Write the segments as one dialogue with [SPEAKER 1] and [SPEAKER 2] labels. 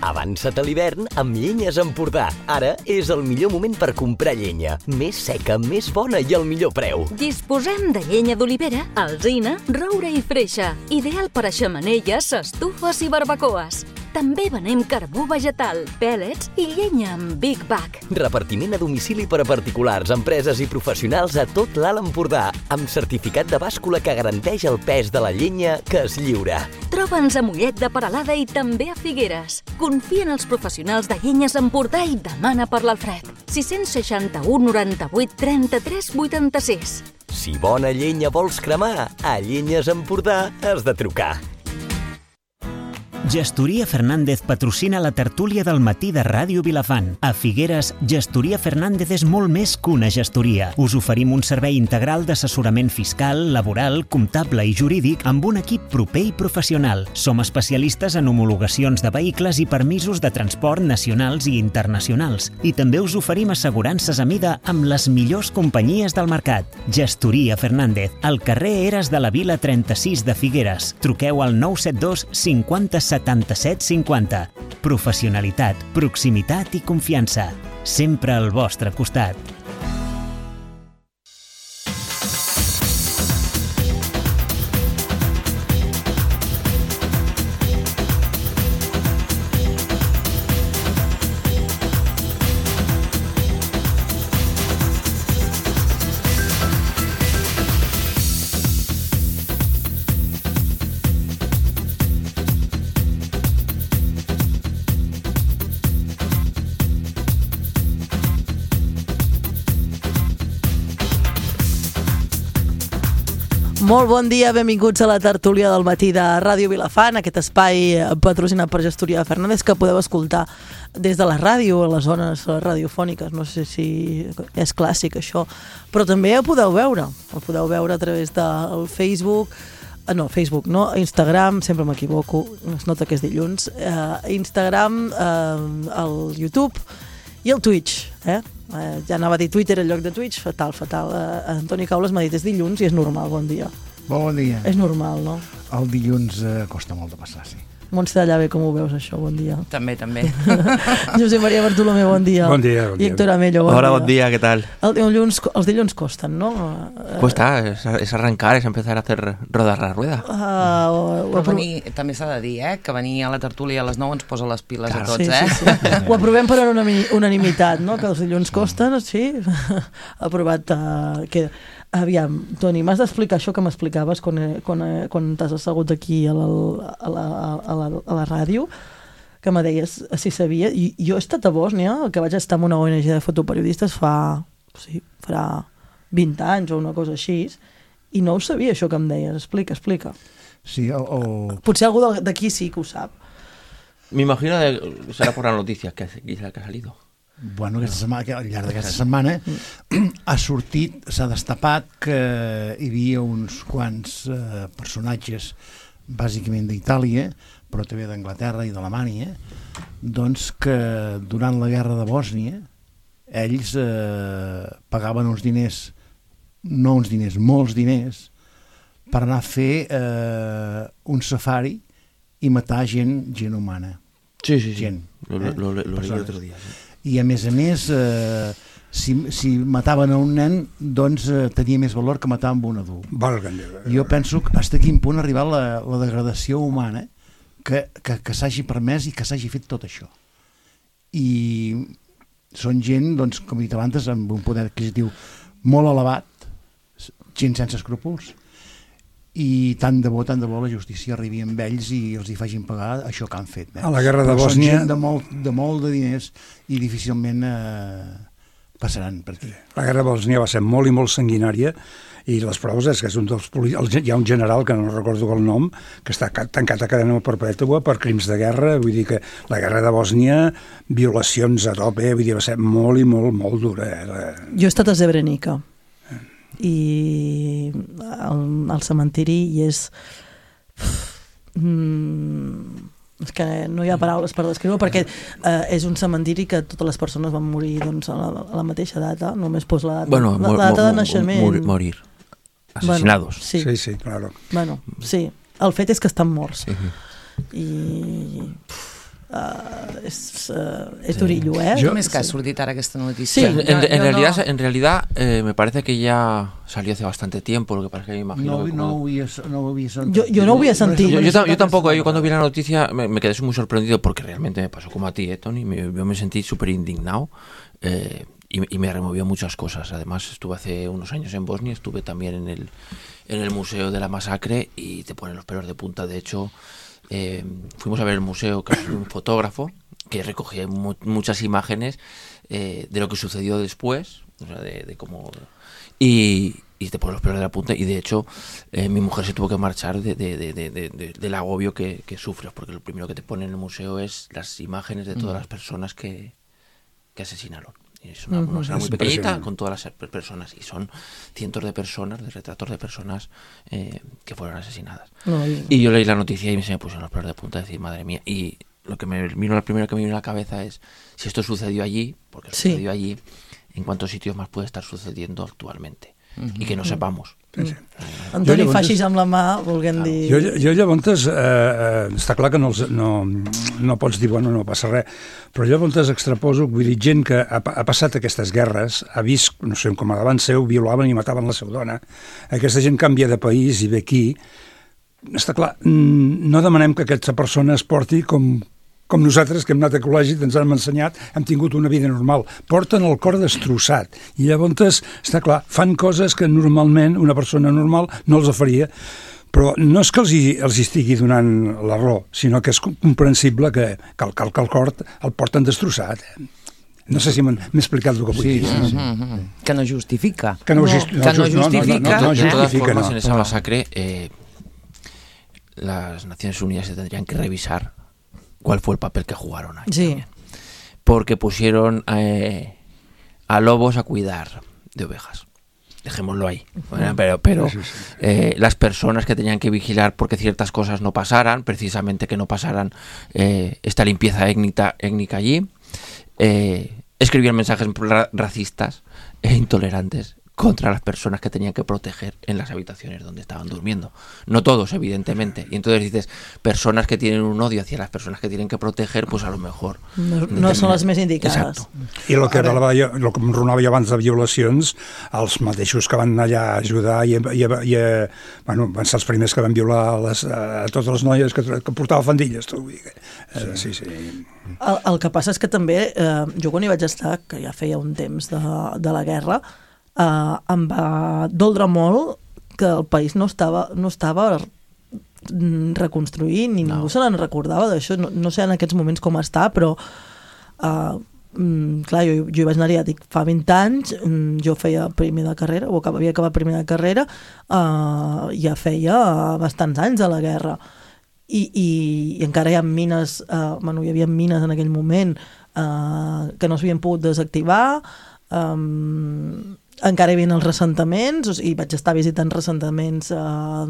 [SPEAKER 1] Avança't a l'hivern amb Llenyes Empordà. Ara és el millor moment per comprar llenya. Més seca, més bona i al millor preu.
[SPEAKER 2] Disposem de llenya d'olivera, alzina, roure i freixa. Ideal per a xemeneies, estufes i barbacoes. També venem carbó vegetal, pèl·lets i llenya amb Big Bag.
[SPEAKER 1] Repartiment a domicili per a particulars, empreses i professionals a tot l'Alt Empordà, amb certificat de bàscula que garanteix el pes de la llenya que es lliura.
[SPEAKER 2] Troba'ns a Mollet de Peralada i també a Figueres. Confia en els professionals de Llenyes Empordà i demana per l'Alfred. 661 98 33 86.
[SPEAKER 1] Si bona llenya vols cremar, a Llenyes Empordà has de trucar.
[SPEAKER 3] Gestoria Fernández patrocina la tertúlia del matí de Ràdio Vilafant. A Figueres, Gestoria Fernández és molt més que una gestoria. Us oferim un servei integral d'assessorament fiscal, laboral, comptable i jurídic amb un equip proper i professional. Som especialistes en homologacions de vehicles i permisos de transport nacionals i internacionals. I també us oferim assegurances a mida amb les millors companyies del mercat. Gestoria Fernández, al carrer Eres de la Vila 36 de Figueres. Truqueu al 972 50 77 50. Professionalitat, proximitat i confiança. Sempre al vostre costat.
[SPEAKER 4] Molt bon dia, benvinguts a la tertúlia del matí de Ràdio Vilafant, aquest espai patrocinat per Gestoria Fernández que podeu escoltar des de la ràdio, a les zones radiofòniques, no sé si és clàssic això, però també el podeu veure a través del Facebook, Instagram, sempre m'equivoco, es nota que és dilluns, Instagram, el YouTube i el Twitch, ja anava a dir Twitter en lloc de Twitch, fatal. Antoni Caules m'ha dit, és dilluns i és normal, bon dia.
[SPEAKER 5] Bon dia.
[SPEAKER 4] És normal, no?
[SPEAKER 5] El dilluns costa molt de passar, sí.
[SPEAKER 4] Montse de Llave, com ho veus, això? Bon dia.
[SPEAKER 6] També.
[SPEAKER 4] Josep Maria Bartolomé, bon dia.
[SPEAKER 7] Bon dia.
[SPEAKER 4] I Héctor Amello, bon dia.
[SPEAKER 8] Hola, bon dia, ¿qué tal?
[SPEAKER 4] Els dilluns costen, no?
[SPEAKER 8] Cuesta, es arrancar, es empezar a hacer rodar la rueda.
[SPEAKER 6] Però també s'ha de dir, que venir a la tertúlia a les 9 ens posa les piles a tots,
[SPEAKER 4] Sí. Ho aprovem per unanimitat, no? Que els dilluns costen, sí. Aprovat. Aviam, Toni, m'has d'explicar això que m'explicaves quan t'has assegut aquí a la ràdio, que me deies si sabia. I jo he estat a Bòsnia, que vaig estar en una ONG de fotoperiodistes farà 20 anys o una cosa així, i no ho sabia això que em deies. Explica.
[SPEAKER 5] Sí,
[SPEAKER 4] Potser algú d'aquí sí que ho sap.
[SPEAKER 8] Me imagino que será por las noticias que ha salido.
[SPEAKER 5] Bueno, al llarg d'aquesta setmana s'ha destapat que hi havia uns quants personatges, bàsicament d'Itàlia, però també d'Anglaterra i d'Alemanya, doncs que durant la guerra de Bòsnia ells pagaven uns diners, no uns diners, molts diners, per anar a fer un safari i matar gent humana.
[SPEAKER 8] Sí.
[SPEAKER 5] Gent.
[SPEAKER 8] Lo leí otro día. Sí.
[SPEAKER 5] I a més, si mataven a un nen, doncs tenia més valor que matar amb un adult. Jo penso que fins a quin punt ha arribat la degradació humana que s'hagi permès i que s'hagi fet tot això. I són gent, doncs, com he dit abans, amb un poder adquisitiu molt elevat, gent sense escrúpols, i tant de bo la justícia arribi amb ells i els hi facin pagar això que han fet.
[SPEAKER 7] A la guerra de Bòsnia...
[SPEAKER 5] Són gent de molt de diners i difícilment passaran per aquí.
[SPEAKER 7] La guerra de Bòsnia va ser molt i molt sanguinària i les proves és que és un dels hi ha un general, que no recordo el nom, que està tancat a cadena perpètua per crims de guerra. Vull dir que la guerra de Bòsnia, violacions a tope, vull dir, va ser molt i molt dura.
[SPEAKER 4] Jo he estat a Srebrenica i al cementiri i és que no hi ha paraules per descriure perquè és un cementiri que totes les persones van morir doncs, a la mateixa data, només posa la data de naixement.
[SPEAKER 8] Morir. Asesinados.
[SPEAKER 4] Bueno,
[SPEAKER 7] sí, claro.
[SPEAKER 4] Bueno, sí. El fet és que estan morts. I és durillo, ¿eh?
[SPEAKER 6] Jo més que ha sortit ara aquesta notícia.
[SPEAKER 8] Sí, en realidad me parece que ya salió hace bastante tiempo, lo que pasa es que me imagino...
[SPEAKER 5] No ho havia sentit.
[SPEAKER 4] Yo no ho havia sentit.
[SPEAKER 8] Yo tampoco, yo cuando vi la noticia me quedé muy sorprendido porque realmente me pasó como a ti, Tony, yo me sentí súper indignado y me removió muchas cosas. Además estuve hace unos años en Bosnia, estuve también en el Museo de la Masacre y te ponen los pelos de punta. De hecho, fuimos a ver el museo con un fotógrafo que recogía muchas imágenes de lo que sucedió después, o sea, de cómo... Y te ponen los pelos de la punta, y de hecho mi mujer se tuvo que marchar del agobio que sufres, porque lo primero que te ponen en el museo es las imágenes de todas las personas que asesinaron. Es una sala muy pequeñita con todas las personas, y son cientos de personas, de retratos de personas que fueron asesinadas. Y yo leí la noticia y se me pusieron los pelos de punta, decir, madre mía. Y lo primero que me vino a la cabeza es, si esto sucedió allí, porque sucedió allí, ¿en cuántos sitios más puede estar sucediendo actualmente? I que no sepamos.
[SPEAKER 4] Antoni, facis amb la mà, volguem dir...
[SPEAKER 7] Jo llavors, està clar que no pots dir, bueno, no passa res, però llavors extraposo, vull dir, gent que ha passat aquestes guerres, ha vist, no sé, com a davant seu, violaven i mataven la seva dona, aquesta gent canvia de país i ve aquí, està clar, no demanem que aquesta persona es porti com nosaltres, que hem anat a col·legi, ens hem ensenyat, hem tingut una vida normal. Porten el cor destrossat. I llavors, està clar, fan coses que normalment una persona normal no els faria. Però no és que els estigui donant la raó, sinó que és comprensible que el cor el porten destrossat. No sé si m'he explicat el que vull dir.
[SPEAKER 6] Que no justifica.
[SPEAKER 8] De todas formas, en esa masacre, las Naciones Unidas se tendrían que revisar cuál fue el papel que jugaron ahí.
[SPEAKER 4] Sí.
[SPEAKER 8] También. Porque pusieron a lobos a cuidar de ovejas. Dejémoslo ahí. Bueno, pero las personas que tenían que vigilar porque ciertas cosas no pasaran, precisamente que no pasaran esta limpieza étnica allí, escribían mensajes racistas e intolerantes contra las personas que tenían que proteger en las habitaciones donde estaban durmiendo. No todos, evidentemente. Y entonces dices, personas que tienen un odio hacia las personas que tienen que proteger, pues a lo mejor...
[SPEAKER 4] No són les més indicades.
[SPEAKER 7] Exacto. I el que em ronava jo abans de violacions, els mateixos que van allà a ajudar bueno, van ser els primers que van violar a totes les noies que portava fandilles. Sí.
[SPEAKER 4] El que passa és que també, jo quan hi vaig estar, que ja feia un temps de la guerra, em va doldre molt que el país no estava reconstruint, ni ningú se n'en recordava d'això. No sé en aquests moments com està, però clar, jo hi vaig anar, ja dic, fa 20 anys, jo feia primer de carrera, o havia acabat primer de carrera, ja feia bastants anys de la guerra. I encara hi ha mines, hi havia mines en aquell moment que no s'havien pogut desactivar, encara hi havia els ressentaments, i vaig estar visitant ressentaments a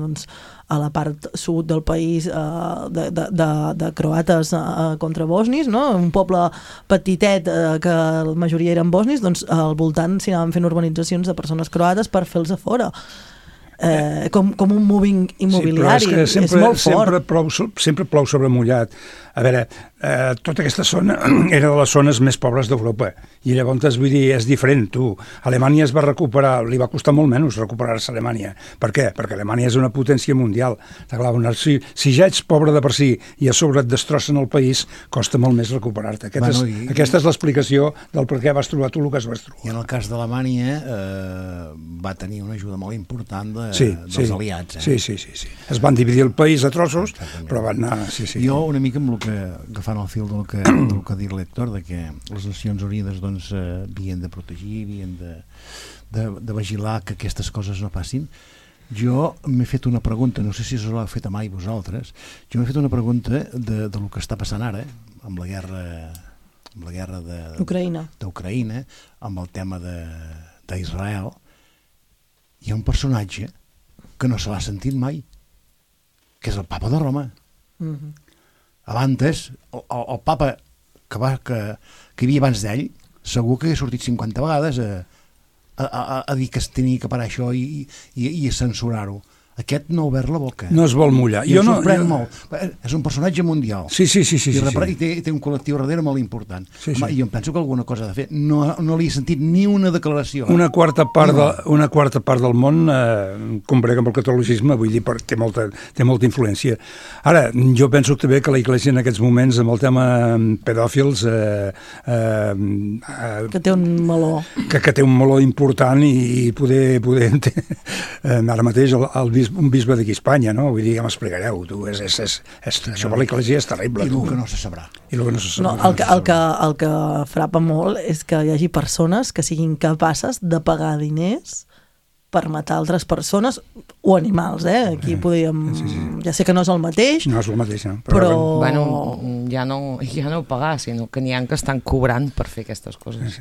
[SPEAKER 4] la part sud del país de croates contra bosnis, no? Un poble petitet que la majoria eren bosnis, doncs al voltant s'hi anaven fent urbanitzacions de persones croates per fer-los a fora. Com un moving immobiliari, és molt fort.
[SPEAKER 7] Sempre plou sobre mullat. A veure, tota aquesta zona era de les zones més pobres d'Europa, i llavors, vull dir, és diferent, tu. Alemanya es va recuperar, li va costar molt menys recuperar-se Alemanya. Per què? Perquè Alemanya és una potència mundial. Si ja ets pobre de per si i a sobre et destrossen el país, costa molt més recuperar-te. Aquesta és l'explicació del per què vas trobar tu el que vas trobar.
[SPEAKER 5] I en el cas d'Alemanya va tenir una ajuda molt important dels aliats.
[SPEAKER 7] Sí. Es van dividir el país a trossos, però van anar...
[SPEAKER 5] Jo una mica amb el que agafant el fil del que ha dit l'Héctor, de que les Nacions Unides havien de protegir, havien de vigilar que aquestes coses no passin. Jo m'he fet una pregunta, no sé si us l'heu fet mai vosaltres, jo m'he fet una pregunta de lo que està passant ara amb la guerra d'Ucraïna, amb el tema d'Israel. Hi ha un personatge que no se l'ha sentit mai, que és el papa de Roma. Abans, el papa que hi havia abans d'ell, segur que ha sortit 50 vegades a dir que es tenia que parar això i a censurar-ho. Aquest no ha obert la boca.
[SPEAKER 7] No es vol mullar.
[SPEAKER 5] I em sorprèn molt. És un personatge mundial.
[SPEAKER 7] Sí.
[SPEAKER 5] I té un col·lectiu darrere molt important. Home, i jo em penso que alguna cosa ha de fer. No li he sentit ni una declaració.
[SPEAKER 7] Una quarta part del món combrega amb el catolicisme, vull dir, té molta influència. Ara, jo penso també que la Iglesia en aquests moments, amb el tema pedòfils...
[SPEAKER 4] que té un meló.
[SPEAKER 7] Que té un meló important i poder ara mateix un bisbe d'aquí a Espanya, no? Vull dir, ja m'explicareu, tu, això per l'Església és terrible.
[SPEAKER 5] I el que no se sabrà.
[SPEAKER 4] No, el que frapa molt és que hi hagi persones que siguin capaces de pagar diners per matar altres persones o animals, Aquí podríem... Ja sé que no és el mateix.
[SPEAKER 7] No és el mateix, no.
[SPEAKER 4] Però...
[SPEAKER 6] Bueno, ja no pagar, sinó que n'hi ha que estan cobrant per fer aquestes coses.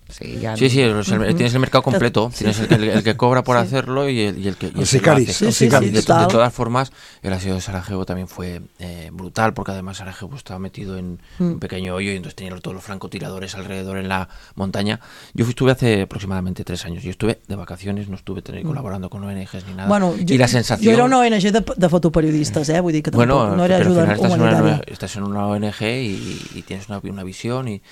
[SPEAKER 6] Sí, tienes el mercado completo, tienes el que cobra por hacerlo y el que
[SPEAKER 7] sicaris.
[SPEAKER 8] De todas formas, el asedio de Sarajevo también fue brutal, porque además Sarajevo estaba metido en un pequeño hoyo y entonces tenía todos los francotiradores alrededor en la montaña. Yo estuve hace aproximadamente 3 años, yo estuve de vacaciones, no estuve colaborando con ONGs ni nada.
[SPEAKER 4] Bueno,
[SPEAKER 8] y la sensación...
[SPEAKER 4] Yo era una ONG de fotoperiodistas, vull dir que tampoc no era ayuda humanitaria.
[SPEAKER 8] Estás en una ONG y tienes una visión y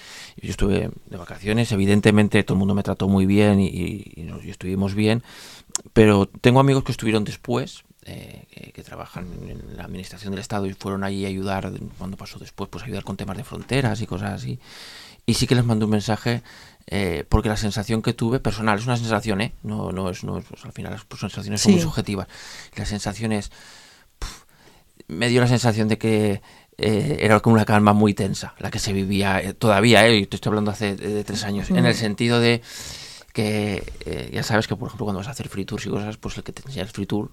[SPEAKER 8] yo estuve de vacaciones, evidentemente todo el mundo me trató muy bien y estuvimos bien, pero tengo amigos que estuvieron después, que trabajan en la administración del Estado y fueron allí a ayudar, cuando pasó después, pues ayudar con temas de fronteras y cosas así, y sí que les mandé un mensaje, porque la sensación que tuve, personal, es una sensación, no es al final las sensaciones son muy subjetivas, la sensación es, me dio la sensación de que era como una calma muy tensa, la que se vivía todavía, y te estoy hablando hace 3 años, en el sentido de que ya sabes que, por ejemplo, cuando vas a hacer free tours y cosas, pues el que te enseña el free tour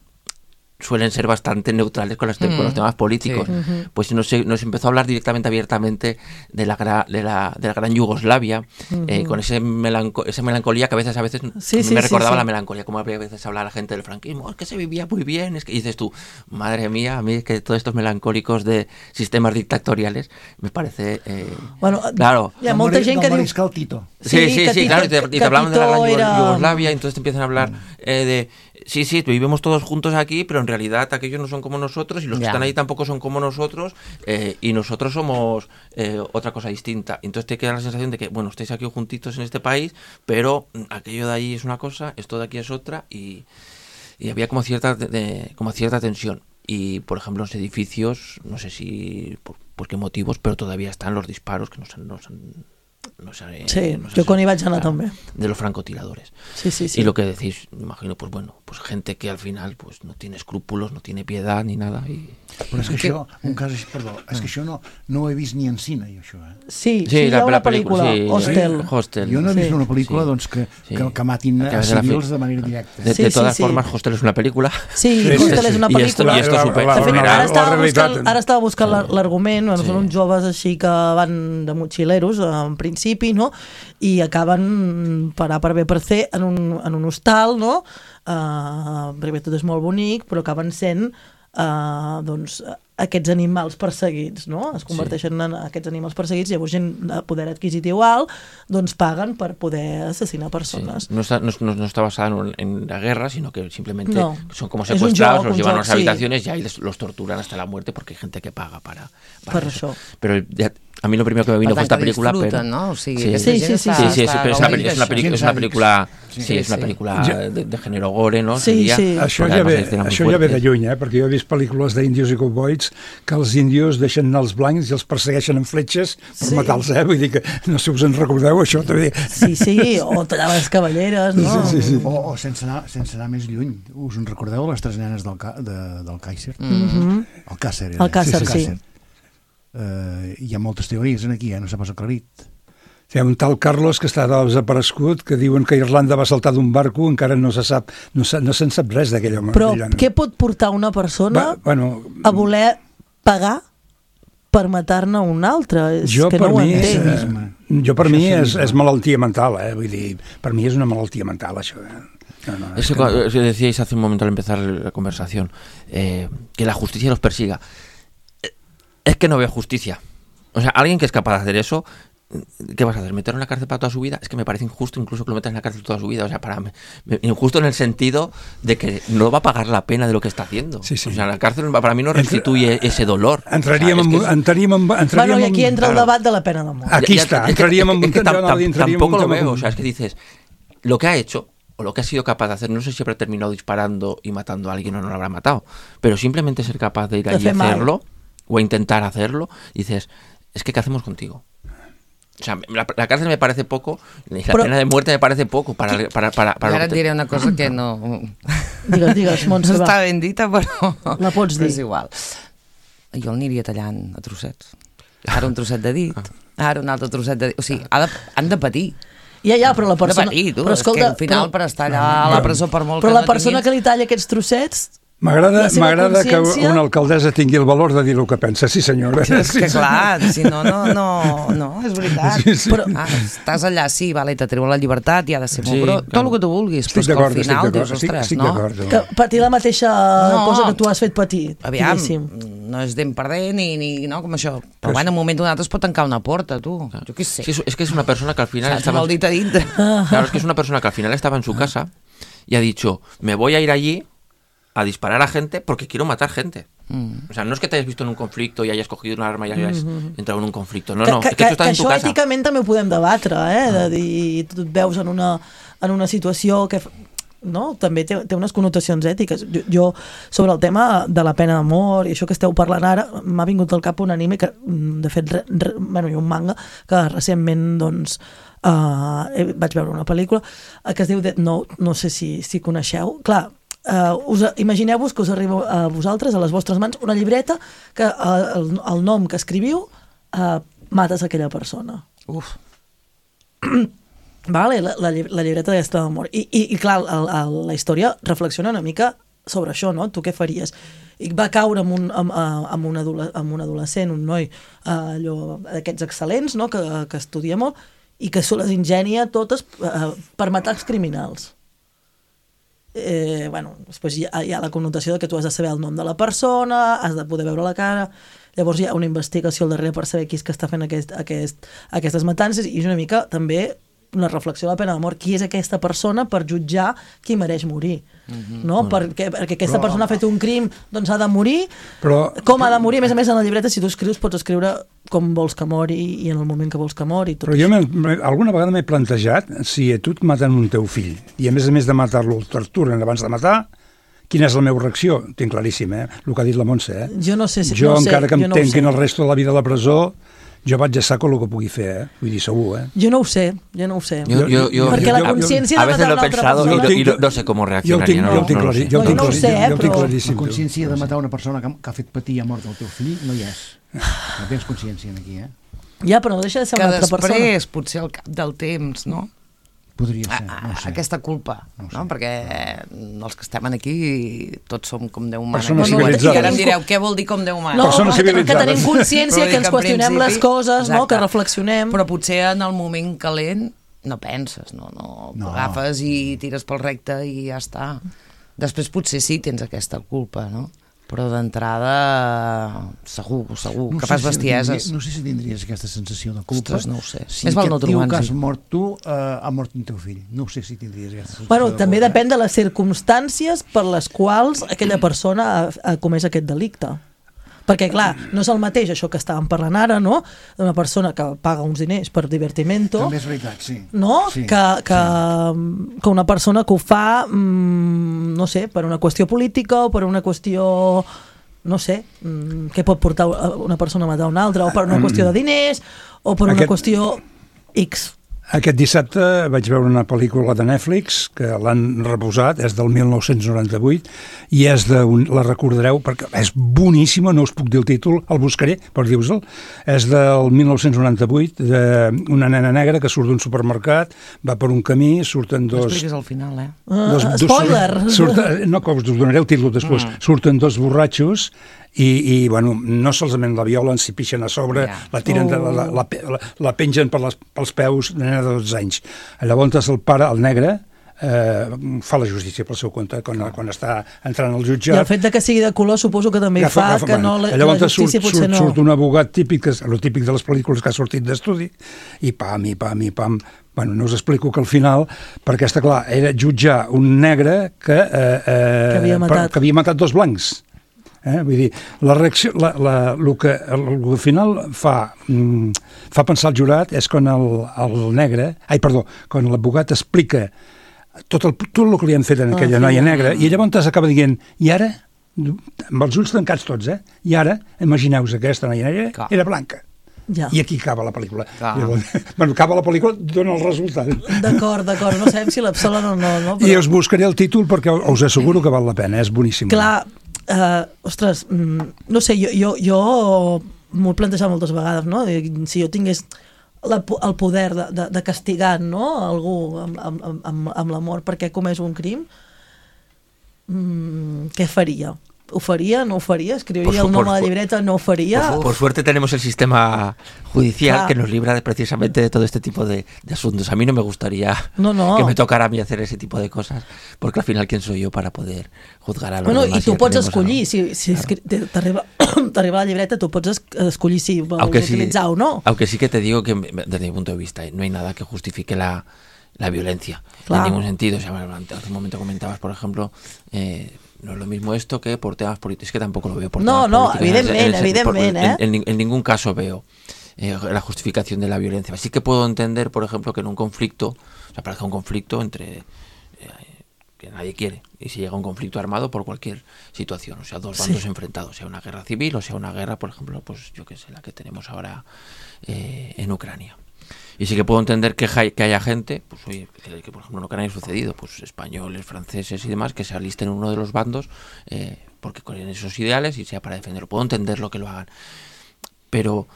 [SPEAKER 8] suelen ser bastante neutrales con los temas políticos. Sí. Pues nos empezó a hablar directamente, abiertamente de la gran Yugoslavia, con esa melancolía que a veces me recordaba la melancolía, como a veces habla la gente del franquismo, es que se vivía muy bien, es que, y dices tú, madre mía, a mí es que todos estos melancólicos de sistemas dictatoriales me parece...
[SPEAKER 4] bueno,
[SPEAKER 8] claro.
[SPEAKER 4] Hi ha molta gent que diu...
[SPEAKER 5] Tito.
[SPEAKER 8] Sí, claro, y te hablaban de la gran Yugoslavia, y entonces te empiezan a hablar de... Sí, vivimos todos juntos aquí, pero en realidad aquellos no son como nosotros y los que están ahí tampoco son como nosotros, y nosotros somos otra cosa distinta. Entonces te queda la sensación de que, bueno, estáis aquí juntitos en este país, pero aquello de ahí es una cosa, esto de aquí es otra, y había como cierta tensión. Y, por ejemplo, en los edificios, no sé si por qué motivos, pero todavía están los disparos que
[SPEAKER 4] yo con hi vaig anar també.
[SPEAKER 8] De los francotiradores.
[SPEAKER 4] Sí.
[SPEAKER 8] Y lo que decís, me imagino, pues bueno, pues gente que al final pues no tiene escrúpulos, no tiene piedad ni nada.
[SPEAKER 5] Però és que això, un cas així, perdó, és que això no ho he vist ni en cine, això,
[SPEAKER 4] Sí, hi ha una pel·lícula, Hostel.
[SPEAKER 5] Jo no he vist una pel·lícula doncs, que matin a civils de manera directa.
[SPEAKER 8] De todas formas, Hostel és una pel·lícula.
[SPEAKER 4] Sí, Hostel és una pel·lícula.
[SPEAKER 8] I esto supera.
[SPEAKER 4] Ara estava buscant l'argument, són uns joves així que van de motxileros, en principi, no? I acaben per A per B per C en un hostal, no? Primer tot és molt bonic, però acaben sent doncs aquests animals perseguits, no? Es converteixen en aquests animals perseguits, llavors gent de poder adquisitiu alt doncs paguen per poder assassinar persones.
[SPEAKER 8] Sí. No está basada en la guerra, sino que simplemente son como secuestrados, los llevan a las habitaciones y ahí los torturan hasta la muerte porque hay gente que paga para eso. Pero a mí lo primero que me vino fue esta película, pero
[SPEAKER 6] ¿no?
[SPEAKER 8] Sí, es una película de género gore, no?
[SPEAKER 4] Sí.
[SPEAKER 7] Això ja ve de lluny, perquè jo he vist pel·lícules d'índios i cowboys que els índios deixen anar els blancs i els persegueixen amb fletxes per matar-los, vull dir que no sé si us en recordeu això també.
[SPEAKER 4] Sí, o tallar les cavalleres, no?
[SPEAKER 5] Sí. O sense anar més lluny, us en recordeu les 3 nenes del Kaiser? El Càcer.
[SPEAKER 4] El Càcer, sí.
[SPEAKER 5] Hi ha moltes teories aquí, no s'ha pas aclarit.
[SPEAKER 7] Hi ha un tal Carlos que està desaparegut, que diuen que Irlanda va saltar d'un barco, encara no se'n sap res d'aquell home.
[SPEAKER 4] Però què pot portar una persona a voler pagar per matar-ne un altre?
[SPEAKER 7] Jo per mi és malaltia mental, vull dir, per mi és una malaltia mental, això.
[SPEAKER 8] Decíais hace un momento al empezar la conversación que la justicia los persiga. Es que no veo justicia. O sea, alguien que es capaz de hacer eso ¿qué vas a hacer? ¿Meterlo en la cárcel para toda su vida? Es que me parece injusto incluso que lo metas en la cárcel toda su vida. O sea, injusto en el sentido de que no va a pagar la pena de lo que está haciendo. Sí. O sea, la cárcel para mí no restituye ese dolor.
[SPEAKER 4] Bueno, y aquí entra el debat de la pena de mort.
[SPEAKER 7] Aquí está, entraríem en un...
[SPEAKER 8] Tampoco lo veo, o sea, es que dices, lo que ha hecho, o lo que ha sido capaz de hacer, no sé si habrá terminado disparando y matando a alguien o no lo habrá matado, pero simplemente ser capaz de ir allí a hacerlo, o a intentar hacerlo, dices, es que ¿qué hacemos contigo? O sea, la cárcel me parece poco, y la pena de muerte me parece poco para
[SPEAKER 6] ara et diré una cosa que no...
[SPEAKER 4] Digues, Montse,
[SPEAKER 6] no està ben dita, però...
[SPEAKER 4] La pots dir.
[SPEAKER 6] És igual. Jo el aniria tallant a trossets. Ara un trosset de dit, ara un altre trosset de dit. O sigui, han de patir.
[SPEAKER 4] Ja, però la persona...
[SPEAKER 6] Han de patir, tu. Però escolta, és que al final per estar allà a la presó per molt
[SPEAKER 4] però que no tinguis... Però la persona que li talla aquests trossets...
[SPEAKER 7] M'agrada que una alcaldessa tingui el valor de dir el que pensa, sí senyora.
[SPEAKER 6] És que clar, si no, és veritat. Però estàs allà, sí, vale, te treu la llibertat i ha de ser molt, però tot el que tu vulguis, però que al final dius, ostres, no?
[SPEAKER 4] Que patir la mateixa cosa que tu has fet patir.
[SPEAKER 6] Aviam, no és d'en perdent ni no, com això. Però bueno, en un moment donat es pot tancar una porta, tu. Jo què sé.
[SPEAKER 8] És que és una persona que al final
[SPEAKER 6] estava... Molt dit a dintre.
[SPEAKER 8] Claro, es que es una persona que al final estaba en su casa y ha dicho, me voy a ir allí a disparar a gente porque quiero matar gente. O sea, no es que te hayas visto en un conflicto y hayas cogido un arma y hayas entrado en un conflicto. No, es que tú estás en tu casa.
[SPEAKER 4] Això èticament també ho podem debatre, de dir, tu et veus en una situació que... No? També té unes connotacions ètiques. Jo, sobre el tema de la pena de mort i això que esteu parlant ara, m'ha vingut al cap un anime que, de fet, i un manga que recentment, doncs, vaig veure una pel·lícula que es diu Death Note, no sé si coneixeu. Clar, imagineu-vos que us arriba a vosaltres, a les vostres mans, una llibreta que el nom que escriviu mates aquella persona.
[SPEAKER 6] Uf.
[SPEAKER 4] Vale, la llibreta d'aquesta de mort. I clar, la història reflexiona una mica sobre això, no? Tu què faries? I va caure amb un adolescent, un noi allò d'aquests excel·lents, no? Que estudia molt i que se les ingenia totes per matar els criminals. Bueno, després hi ha la connotació de que tu has de saber el nom de la persona, has de poder veure la cara, llavors hi ha una investigació al darrere per saber qui és que està fent aquestes matances, i és una mica també una reflexió de la pena de mort. Qui és aquesta persona per jutjar qui mereix morir? No? Perquè aquesta persona ha fet un crim, doncs ha de morir. Com ha de morir? A més, en la llibreta, si tu escrius, pots escriure com vols que mori i en el moment que vols que mori.
[SPEAKER 7] Però jo alguna vegada m'he plantejat si a tu et maten un teu fill i a més de matar-lo el torturen abans de matar, quina és la meva reacció? Tinc claríssim, el que ha dit la Montse.
[SPEAKER 4] Jo no sé.
[SPEAKER 7] Jo, encara que em tanquin el resto de la vida a la presó, jo vaig a saco el que pugui fer, vull dir, segur,
[SPEAKER 4] Jo no ho sé. Perquè la consciència
[SPEAKER 8] de matar una altra persona... I no sé com reaccionaria.
[SPEAKER 7] Jo ho tinc claríssim.
[SPEAKER 5] La consciència de matar una persona que ha fet patir a mort el teu fill no hi és. No tens consciència aquí,
[SPEAKER 4] Ja, però no deixa de ser una altra persona.
[SPEAKER 6] Que després, potser al cap del temps, no?
[SPEAKER 5] Podria ser, no sé.
[SPEAKER 6] Aquesta culpa, no? Perquè els que estem aquí tots som com Déu mana.
[SPEAKER 7] Persones civilitzades.
[SPEAKER 6] I ara em direu, què vol dir com Déu mana?
[SPEAKER 4] No, que tenim consciència, que ens qüestionem les coses, que reflexionem.
[SPEAKER 6] Però potser en el moment calent no penses, no agafes i tires pel recte i ja està. Després potser sí tens aquesta culpa, no? Però d'entrada segur que fas bestieses.
[SPEAKER 5] No sé si tindries aquesta sensació de culpa.
[SPEAKER 6] Ostres, no ho sé.
[SPEAKER 5] Si aquest tio que has mort tu ha mort un teu fill. No sé si tindries aquesta sensació de culpa.
[SPEAKER 4] També depèn de les circumstàncies per les quals aquella persona ha comès aquest delicte. Perquè, clar, no és el mateix això que estàvem parlant ara, no? D'una persona que paga uns diners per divertimento.
[SPEAKER 5] També és veritat, sí.
[SPEAKER 4] No? Que una persona que ho fa, no sé, per una qüestió política o per una qüestió, no sé, que pot portar una persona a matar una altra, o per una qüestió de diners, o per una qüestió X.
[SPEAKER 7] Aquest dissabte vaig veure una pel·lícula de Netflix que l'han reposat, és del 1998 i la recordareu perquè és boníssima, no us puc dir el títol, el buscaré per dir-vos-el. És del 1998 d'una nena negra que surt d'un supermercat, va per un camí, surten dos...
[SPEAKER 6] No expliquis al final,
[SPEAKER 4] Spoiler!
[SPEAKER 7] No, que us donaré el títol després. Surten dos borratxos i bueno, no solament la violen, s'hi pixen a sobre, la tiren, la pengen pels peus, de nena de 12 anys. Llavors el pare, el negre, fa la justícia pel seu compte quan està entrant al jutjat.
[SPEAKER 4] I el fet de que sigui de color suposo que també fa que no la justícia potser no...
[SPEAKER 7] Surt un abogat típic, el típic de les pel·lícules que ha sortit d'estudi, i pam. Bueno, no us explico que al final, perquè està clar, era jutjar un negre que havia matat dos blancs. Vull dir, la reacció, el que al final fa pensar el jurat és quan quan l'abogat explica tot el que li han fet a aquella noia negra, i llavors acaba dient, i ara, amb els ulls tancats tots, i ara, imagineu-vos que aquesta noia negra era blanca.
[SPEAKER 4] Ja.
[SPEAKER 7] I aquí acaba la pel·lícula. Acaba la pel·lícula, dona el resultat.
[SPEAKER 4] D'acord, no sabem si l'absolen o no.
[SPEAKER 7] I us buscaré el títol perquè us asseguro que val la pena, és boníssim.
[SPEAKER 4] Clar, ostres, no sé, jo m'ho he plantejat moltes vegades, no? Si jo tingués el poder de castigar, no?, algú amb l'amor perquè ha comès un crim, què faria? ¿Ho faría? ¿No ho faría? ¿Escribiría el nombre de la libreta? ¿No ho faría?
[SPEAKER 8] Por suerte tenemos el sistema judicial que nos libra precisamente de todo este tipo de asuntos. A mí no me gustaría que me tocara a mí hacer ese tipo de cosas, porque al final, ¿quién soy yo para poder juzgar a los demás?
[SPEAKER 4] I tu pots escollir, si t'arriba la llibreta, tu pots escollir si vols utilitzar o no.
[SPEAKER 8] Aunque sí que te digo que desde mi punto de vista no hay nada que justifique la violencia, en ningún sentido. O sea, hace un momento comentabas, por ejemplo, no es lo mismo esto que por temas políticos, es que tampoco lo veo por temas políticos.
[SPEAKER 4] Evidentemente.
[SPEAKER 8] En ningún caso veo la justificación de la violencia. Sí que puedo entender, por ejemplo, que en un conflicto, o sea, parece un conflicto entre que nadie quiere, y si llega un conflicto armado por cualquier situación, o sea, dos bandos enfrentados, sea una guerra civil o sea una guerra, por ejemplo, pues yo que sé, la que tenemos ahora en Ucrania. Y sí que puedo entender que haya gente, pues oye, que por ejemplo en Ucrania ha sucedido, pues españoles, franceses y demás, que se alisten en uno de los bandos porque con esos ideales y sea para defenderlo. Puedo entender lo que lo hagan. Pero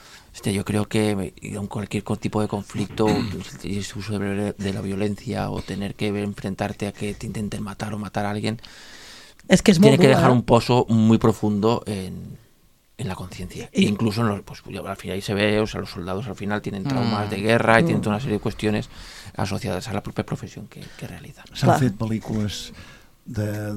[SPEAKER 8] yo creo que en cualquier tipo de conflicto, el uso de la violencia o tener que enfrentarte a que te intenten matar o matar a alguien,
[SPEAKER 4] es que
[SPEAKER 8] tiene que dejar un pozo muy profundo en la conciencia. E incluso pues al final ahí se ve, o sea, los soldados al final tienen traumas de guerra y tienen toda una serie de cuestiones asociadas a la propia profesión que realizan.
[SPEAKER 5] S'han fet pel·lícules de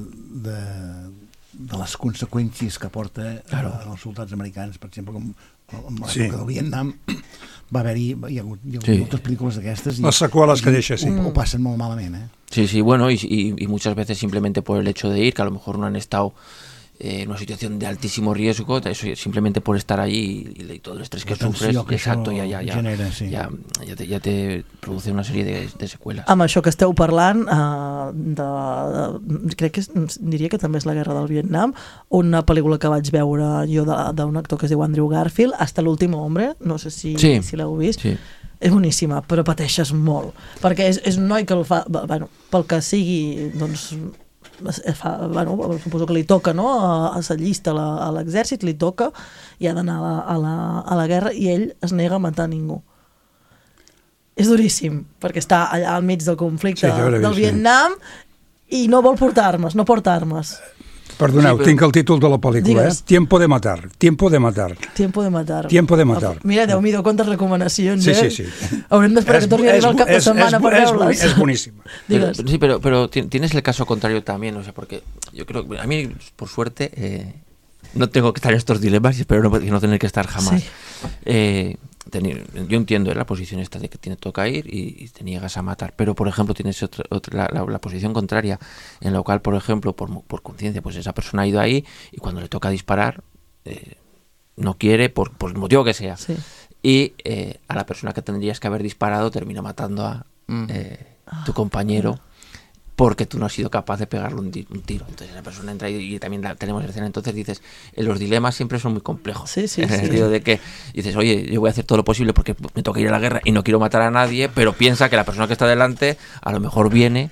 [SPEAKER 5] les conseqüències que porta als soldats americans, per exemple, com en l'època del Vietnam hi ha hagut moltes pel·lícules d'aquestes i
[SPEAKER 7] les seqüeles que deixa,
[SPEAKER 5] ho passen molt malament,
[SPEAKER 8] Sí, bueno, y muchas veces simplemente por el hecho de ir, que a lo mejor no han estado en una situación de altísimo riesgo, eso simplemente por estar allí y todo el estrés que sufres, exacto, ya te produce una serie de secuelas.
[SPEAKER 4] Amb això que esteu parlant, crec que diria que també és la guerra del Vietnam, una pel·lícula que vaig veure jo d'un actor que es diu Andrew Garfield, Hasta l'último hombre, no sé si l'heu vist. Sí. És boníssima, però pateixes molt, perquè és un noi que el fa, pel que sigui, doncs suposo que li toca, no? S'allista a l'exèrcit, li toca i ha d'anar a la guerra i ell es nega a matar ningú. És duríssim, perquè està allà al mig del conflicte del Vietnam i no vol portar armes, no porta armes.
[SPEAKER 7] Perdoneu, tinc el títol de la pel·lícula, Tiempo de matar. Tiempo de matar. Mira,
[SPEAKER 4] Déu-m'hi-do, quantes recomanacions,
[SPEAKER 7] Sí.
[SPEAKER 4] Haurem d'esperar que torni a arribar el cap de setmana per veure-les.
[SPEAKER 7] És boníssima.
[SPEAKER 8] Sí, pero tienes el caso contrario también, o sea, porque yo creo que a mí, por suerte, no tengo que estar en estos dilemas y espero no tener que estar jamás. Yo entiendo la posición esta de que te toca ir y te niegas a matar, pero por ejemplo tienes la posición contraria en la cual, por ejemplo, por conciencia, pues esa persona ha ido ahí y cuando le toca disparar no quiere por el motivo que sea, y a la persona que tendrías que haber disparado termina matando a tu compañero porque tú no has sido capaz de pegarle un tiro. Entonces la persona entra y también tenemos la escena. Entonces dices, los dilemas siempre son muy complejos. En el sentido de que dices, oye, yo voy a hacer todo lo posible porque me toca ir a la guerra y no quiero matar a nadie, pero piensa que la persona que está delante a lo mejor viene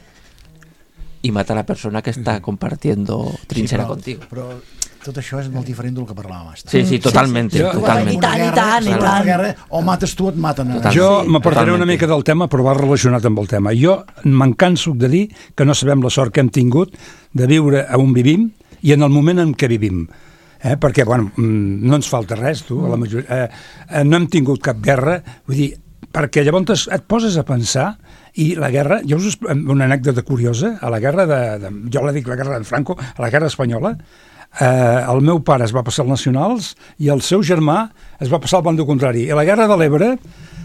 [SPEAKER 8] y mata a la persona que está compartiendo trinchera contigo.
[SPEAKER 5] Però tot això és molt diferent del que parlàvem abans.
[SPEAKER 8] Sí, totalment.
[SPEAKER 4] I tant.
[SPEAKER 5] O mates tu, et maten.
[SPEAKER 7] Jo m'apartaré una mica del tema, però va relacionat amb el tema. Jo me'n canso de dir que no sabem la sort que hem tingut de viure on vivim i en el moment en què vivim. Perquè, no ens falta res, tu, a la majoria. No hem tingut cap guerra, vull dir, perquè llavors et poses a pensar i la guerra, jo us una anècdota curiosa, a la guerra jo la dic la guerra de Franco, a la guerra espanyola, el meu pare es va passar als nacionals i el seu germà es va passar al bando contrari. I a la guerra de l'Ebre,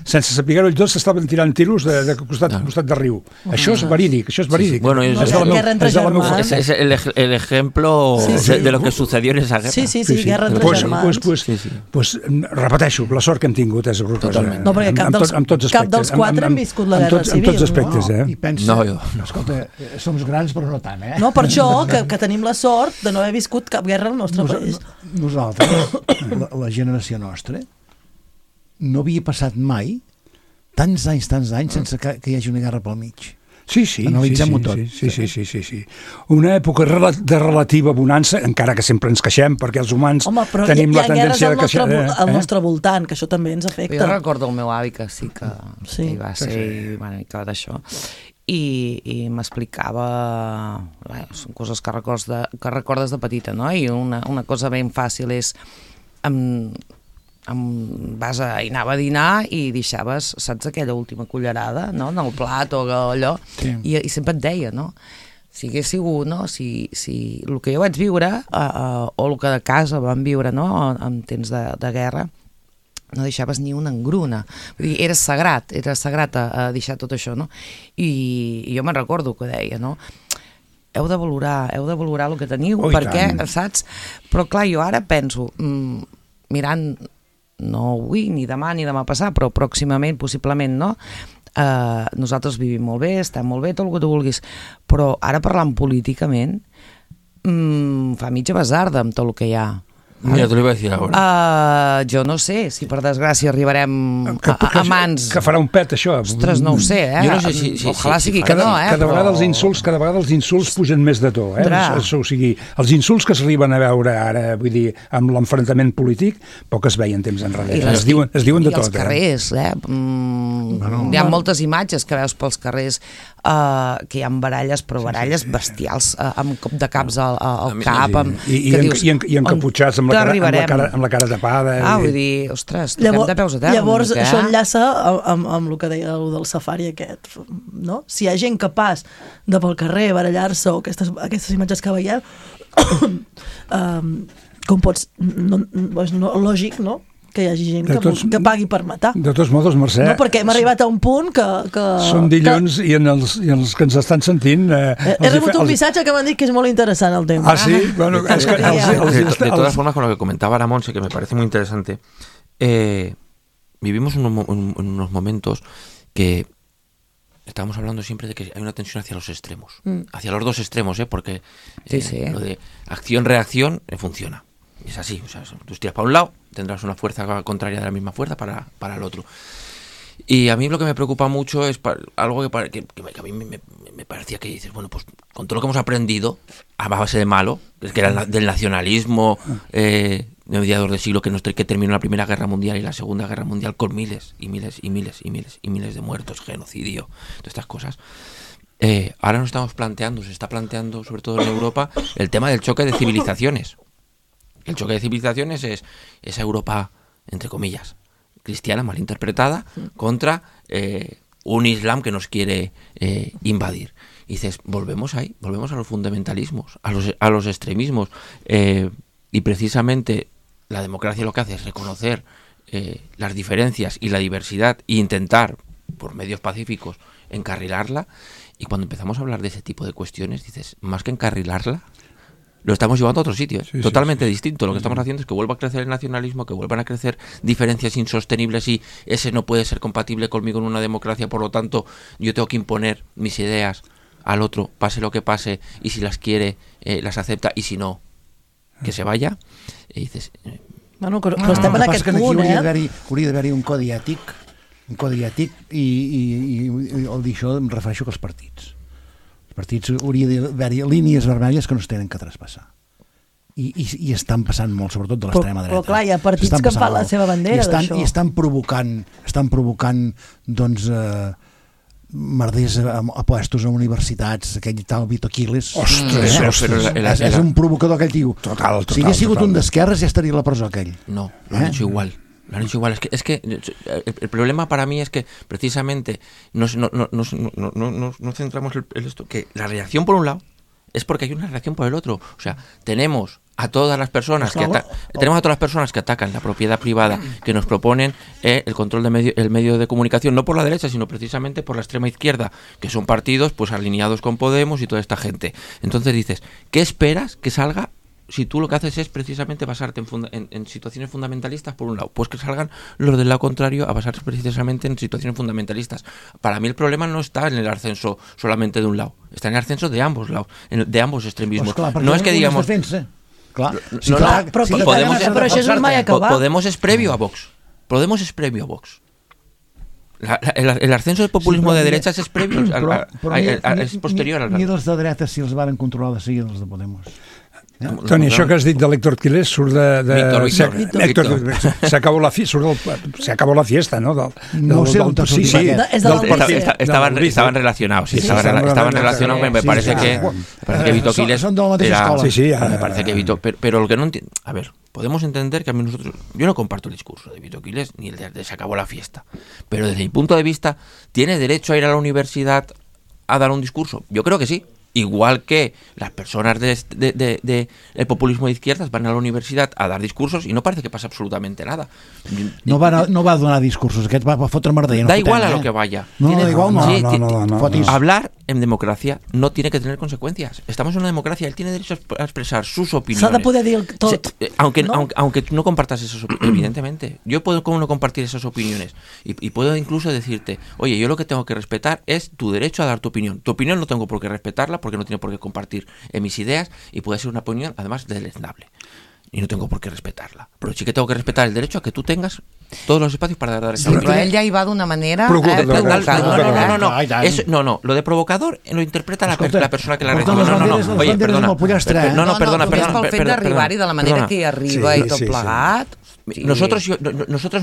[SPEAKER 7] sense saber-ho tots, s'estaven tirant tiros de costat de riu. Això és verídic, això és verídic.
[SPEAKER 8] Bueno,
[SPEAKER 4] guerra entre germans.
[SPEAKER 8] Es el ejemplo de lo que sucedió en esa guerra.
[SPEAKER 4] Sí, guerra entre germans.
[SPEAKER 7] Pues repeteixo, la sort que hem tingut és horrorosa.
[SPEAKER 4] No, perquè cap dels quatre hem viscut la guerra civil.
[SPEAKER 7] En tots aspectes, eh?
[SPEAKER 5] I pensa, escolta, som grans però no tant, eh?
[SPEAKER 4] No, per això que tenim la sort de no haver viscut cap guerra al nostre país.
[SPEAKER 5] Nosaltres, la generació nostra, no havia passat mai tants anys sense que hi hagi una guerra pel mig.
[SPEAKER 7] Sí.
[SPEAKER 5] Analitzem-ho tot.
[SPEAKER 7] Sí. Una època de relativa bonança, encara que sempre ens queixem, perquè els humans tenim la tendència de queixar.
[SPEAKER 4] Al nostre voltant, que això també ens afecta.
[SPEAKER 6] Jo recordo el meu avi que sí que hi va ser una mica d'això. I m'explicava, són coses que recordes de petita, no? I una cosa ben fàcil és anava a dinar i deixaves, saps, aquella última cullerada, no?, en el plat o allò, i sempre et deia, no?, si hagués sigut, no?, si el que jo vaig viure o el que de casa vam viure, no?, en temps de guerra, no deixaves ni una engruna. Vull dir, era sagrat a deixar tot això, no? I jo me'n recordo que deia, no?, heu de valorar el que teniu, perquè, saps? Però clar, jo ara penso, mirant, no avui, ni demà passat, però pròximament, possiblement, no? Nosaltres vivim molt bé, estem molt bé, tot el que tu vulguis, però ara parlant políticament fa mitja basarda amb tot el que hi ha.
[SPEAKER 8] Mira, te lo iba a decir ahora.
[SPEAKER 6] Jo no sé si per desgràcia arribarem a mans...
[SPEAKER 7] Que farà un pet, això.
[SPEAKER 6] Ostres, no ho sé, eh?
[SPEAKER 8] Jo no sé si
[SPEAKER 6] ojalà sigui que no, eh?
[SPEAKER 7] Cada vegada els insults pugen més de to, eh? O sigui, els insults que s'arriben a veure ara, vull dir, amb l'enfrontament polític, poc es veien temps enrere. Es diuen de tot,
[SPEAKER 6] I els carrers, hi ha moltes imatges que veus pels carrers que hi ha baralles, però baralles bestials, amb cop de caps al cap,
[SPEAKER 7] i encaputxats amb la cara tapada.
[SPEAKER 6] Vull dir, ostres, toquem de peus a terra.
[SPEAKER 4] Llavors, això enllaça amb el que deia del safari aquest, no? Si hi ha gent capaç de pel carrer barallar-se o aquestes imatges que veiem, com pots... Lògic, no?, que hi hagi gent que pagui per matar.
[SPEAKER 7] De tots modos, Mercè...
[SPEAKER 4] No, perquè hem arribat a un punt que...
[SPEAKER 7] Som dilluns i els que ens estan sentint...
[SPEAKER 4] He rebut un missatge que m'han dit que és molt interessant el tema.
[SPEAKER 7] Ah, sí? Bueno, es que
[SPEAKER 8] de todas formas, con lo que comentaba la Monse, que me parece muy interesante, vivimos en unos momentos que estamos hablando siempre de que hay una tensión hacia los extremos, hacia los dos extremos, porque lo de acción-reacción funciona. Es así, o sea, tú estiras para un lado, tendrás una fuerza contraria de la misma fuerza para el otro. Y a mí lo que me preocupa mucho es algo que a mí me parecía que dices, bueno, pues con todo lo que hemos aprendido a base de malo, que era del nacionalismo de mediados del siglo que terminó la Primera Guerra Mundial y la Segunda Guerra Mundial con miles de muertos, genocidio, todas estas cosas. Ahora se está planteando, sobre todo en Europa, el tema del choque de civilizaciones. El choque de civilizaciones es esa Europa, entre comillas, cristiana, malinterpretada, contra un Islam que nos quiere invadir. Y dices, volvemos a los fundamentalismos, a los extremismos. Y precisamente la democracia lo que hace es reconocer las diferencias y la diversidad e intentar, por medios pacíficos, encarrilarla. Y cuando empezamos a hablar de ese tipo de cuestiones, dices, más que encarrilarla, lo estamos llevando a otro sitio, totalmente distinto. Lo que estamos haciendo es que vuelva a crecer el nacionalismo, que vuelvan a crecer diferencias insostenibles y ese no puede ser compatible conmigo en una democracia, por lo tanto yo tengo que imponer mis ideas al otro, pase lo que pase, y si las quiere, las acepta, y si no, que se vaya. I dices...
[SPEAKER 4] Bueno, però estem en aquest punt,
[SPEAKER 5] Hauria d'haver-hi un codi ètic i el dir això em refereixo als partits. Partits hauria d'haver-hi línies vermelles que no es tenen que traspassar. I estan passant molt, sobretot de l'extrema dreta.
[SPEAKER 4] Però clar, hi ha partits que fan la seva bandera d'això.
[SPEAKER 5] I estan provocant doncs, merders a puestos a universitats, aquell tal Vito Quiles.
[SPEAKER 7] Ostres,
[SPEAKER 5] és un provocador aquell tio.
[SPEAKER 7] Total.
[SPEAKER 5] Si hagués sigut un d'esquerres ja estaria a la presó aquell.
[SPEAKER 8] No, lo han hecho igual. Lo han hecho igual. Es que el problema para mí es que precisamente no centramos en esto, que la reacción por un lado es porque hay una reacción por el otro. O sea, tenemos a todas las personas que atacan la propiedad privada, que nos proponen el control del medio de comunicación, no por la derecha, sino precisamente por la extrema izquierda, que son partidos pues alineados con Podemos y toda esta gente. Entonces dices, ¿qué esperas que salga si tú lo que haces es precisamente basarte en situaciones fundamentalistas por un lado? Pues que salgan los del lado contrario a basarse precisamente en situaciones fundamentalistas. Para mí el problema no está en el ascenso solamente de un lado, está en el ascenso de ambos lados, de ambos extremismos.
[SPEAKER 5] Pues clar,
[SPEAKER 8] no es que digamos... Podemos es previo a Vox. Podemos es previo a Vox. El ascenso del populismo de derechas és previo, és posterior al...
[SPEAKER 5] Ni els de dretes si els van controlar de seguida els de Podemos.
[SPEAKER 7] Toni, això que has dit de l'Héctor Quilés surt de... Se acabó la fiesta, ¿no?
[SPEAKER 5] No sé,
[SPEAKER 8] estaban relacionados, me parece que Vito Quiles
[SPEAKER 5] son de la mateixa escola.
[SPEAKER 8] Me parece que Vito, pero lo que no entiendo, a ver, podemos entender que a mí yo no comparto el discurso de Vito Quiles ni el de se acabó la fiesta, pero desde mi punto de vista, ¿tiene derecho a ir a la universidad a dar un discurso? Yo creo que sí. Igual que las personas de el populismo de izquierdas van a la universidad a dar discursos y no parece que pasa absolutamente nada.
[SPEAKER 5] No va a donar discursos, aquest va fotre merda.
[SPEAKER 8] Da igual a lo que vaya.
[SPEAKER 7] No.
[SPEAKER 8] Hablar en democracia no tiene que tener consecuencias. Estamos en una democracia, él tiene derecho a expresar sus opiniones.
[SPEAKER 4] S'ha de poder dir tot.
[SPEAKER 8] Aunque tú no compartas esas opiniones, evidentemente. Yo puedo como no compartir esas opiniones y puedo incluso decirte, oye, yo lo que tengo que respetar es tu derecho a dar tu opinión. Tu opinión no tengo por qué respetarla porque no tiene por qué compartir mis ideas y puede ser una opinión además deleznable y no tengo por qué respetarla, pero sí que tengo que respetar el derecho a que tú tengas todos los espacios para dar esa opinión.
[SPEAKER 9] Però ell ja hi va d'una manera
[SPEAKER 8] no, lo de provocador lo interpreta la persona que la recibe. Oye, perdona,
[SPEAKER 9] és pel fet d'arribar-hi de la manera que hi arriba i tot plegat.
[SPEAKER 8] Nosotros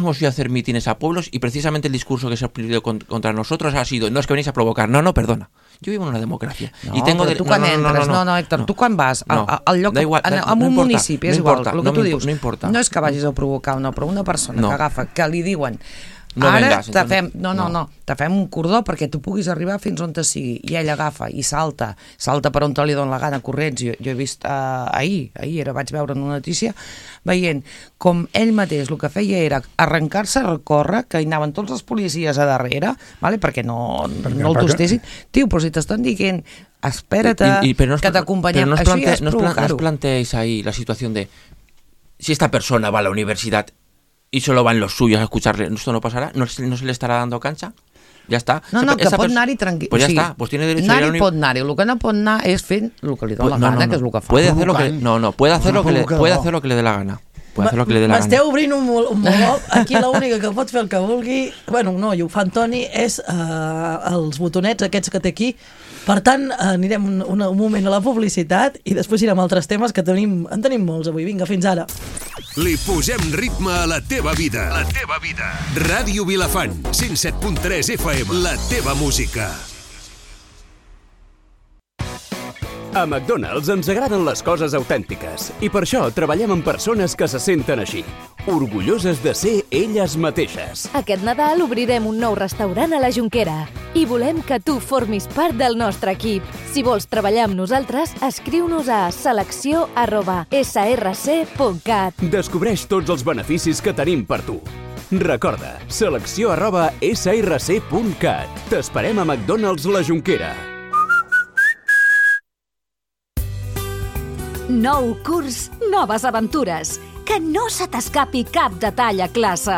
[SPEAKER 8] hemos ido a hacer mítines a pueblos y precisamente el discurso que se ha pedido contra nosotros ha sido, no es que venís a provocar, no, perdona. Yo vivo en una democracia.
[SPEAKER 9] No, y tengo tu quan entres, Héctor, tu quan vas al lloc, en un municipi, és igual, el que tu dius, no és que vagis a provocar, no, però una persona que agafa, que li diuen ara te fem un cordó perquè tu puguis arribar fins on te sigui, i ell agafa i salta per on te li dona la gana corrents. Jo he vist ahir vaig veure en una notícia veient com ell mateix el que feia era arrencar-se a recórrer, que hi anaven tots els policies a darrere, perquè no el tostessin. Tio, però si t'estan dient espera't que t'acompanyem, això ja és provocar-ho.
[SPEAKER 8] ¿No os planteéis ahí la situación de si esta persona va a la universidad y solo van los suyos a escucharle, ¿esto no pasará? ¿No se le estará dando cancha? Ya está.
[SPEAKER 9] No, que pot anar-hi tranquil.
[SPEAKER 8] Pues ya está, pues tiene derecho a ir a la
[SPEAKER 9] pot anar-hi, el que no pot anar és fent el que li dona la gana, que és el que fa.
[SPEAKER 8] Puede hacer lo que le dé la gana.
[SPEAKER 4] M'esteu obrint un meló. Aquí l'única que pot fer el que vulgui, i ho fa en Toni, és els botonets aquests que té aquí. Per tant, anirem un moment a la publicitat i després irem a altres temes que en tenim molts avui. Vinga, fins ara.
[SPEAKER 10] Li posem ritme a la teva vida. La teva vida. Ràdio Vilafant, 107.3 FM. La teva música. A McDonald's ens agraden les coses autèntiques i per això treballem amb persones que se senten així, orgulloses de ser elles mateixes.
[SPEAKER 11] Aquest Nadal obrirem un nou restaurant a la Jonquera i volem que tu formis part del nostre equip. Si vols treballar amb nosaltres, escriu-nos a selecció@src.cat.
[SPEAKER 10] Descobreix tots els beneficis que tenim per tu. Recorda, selecció@src.cat. T'esperem a McDonald's la Jonquera.
[SPEAKER 2] Nou curs, noves aventures. Que no se t'escapi cap detall a classe.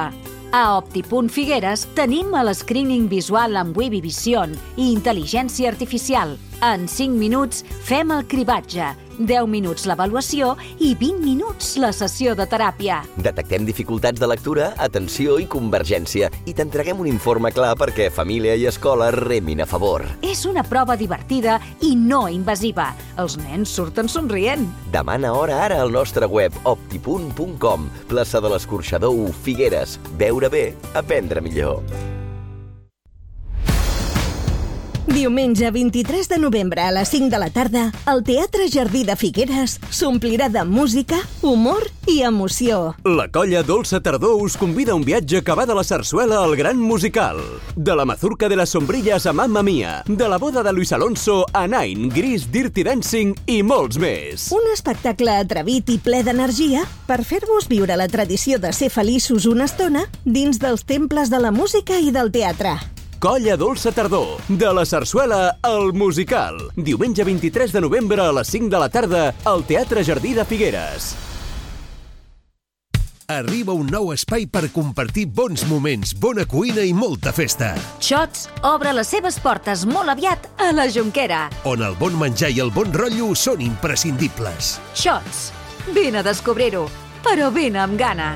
[SPEAKER 2] A Opti.Figueres tenim l'escreening visual amb Webby Vision i intel·ligència artificial. En 5 minuts fem el cribatge, 10 minuts l'avaluació i 20 minuts la sessió de teràpia.
[SPEAKER 1] Detectem dificultats de lectura, atenció i convergència i t'entreguem un informe clar perquè família i escola remin a favor.
[SPEAKER 2] És una prova divertida i no invasiva. Els nens surten somrient.
[SPEAKER 1] Demana hora ara al nostre web opti.com, plaça de l'Escorxador 1, Figueres. Veure bé, aprendre millor.
[SPEAKER 12] Diumenge 23 de novembre a les 5 de la tarda, el Teatre Jardí de Figueres s'omplirà de música, humor i emoció.
[SPEAKER 10] La colla Dolça Tardor us convida a un viatge que va de la sarsuela al gran musical. De la mazurca de les sombrilles a Mamma Mia, de la boda de Luis Alonso a Nine, Gris, Dirty Dancing i molts més.
[SPEAKER 12] Un espectacle atrevit i ple d'energia per fer-vos viure la tradició de ser feliços una estona dins dels temples de la música i del teatre.
[SPEAKER 10] Colla Dolça Tardor, de la sarsuela al musical. Diumenge 23 de novembre a les 5 de la tarda al Teatre Jardí de Figueres.
[SPEAKER 13] Arriba un nou espai per compartir bons moments, bona cuina i molta festa.
[SPEAKER 2] Xots obre les seves portes molt aviat a la Jonquera,
[SPEAKER 13] on el bon menjar i el bon rotllo són imprescindibles.
[SPEAKER 2] Xots, vine a descobrir-ho, però vine amb gana.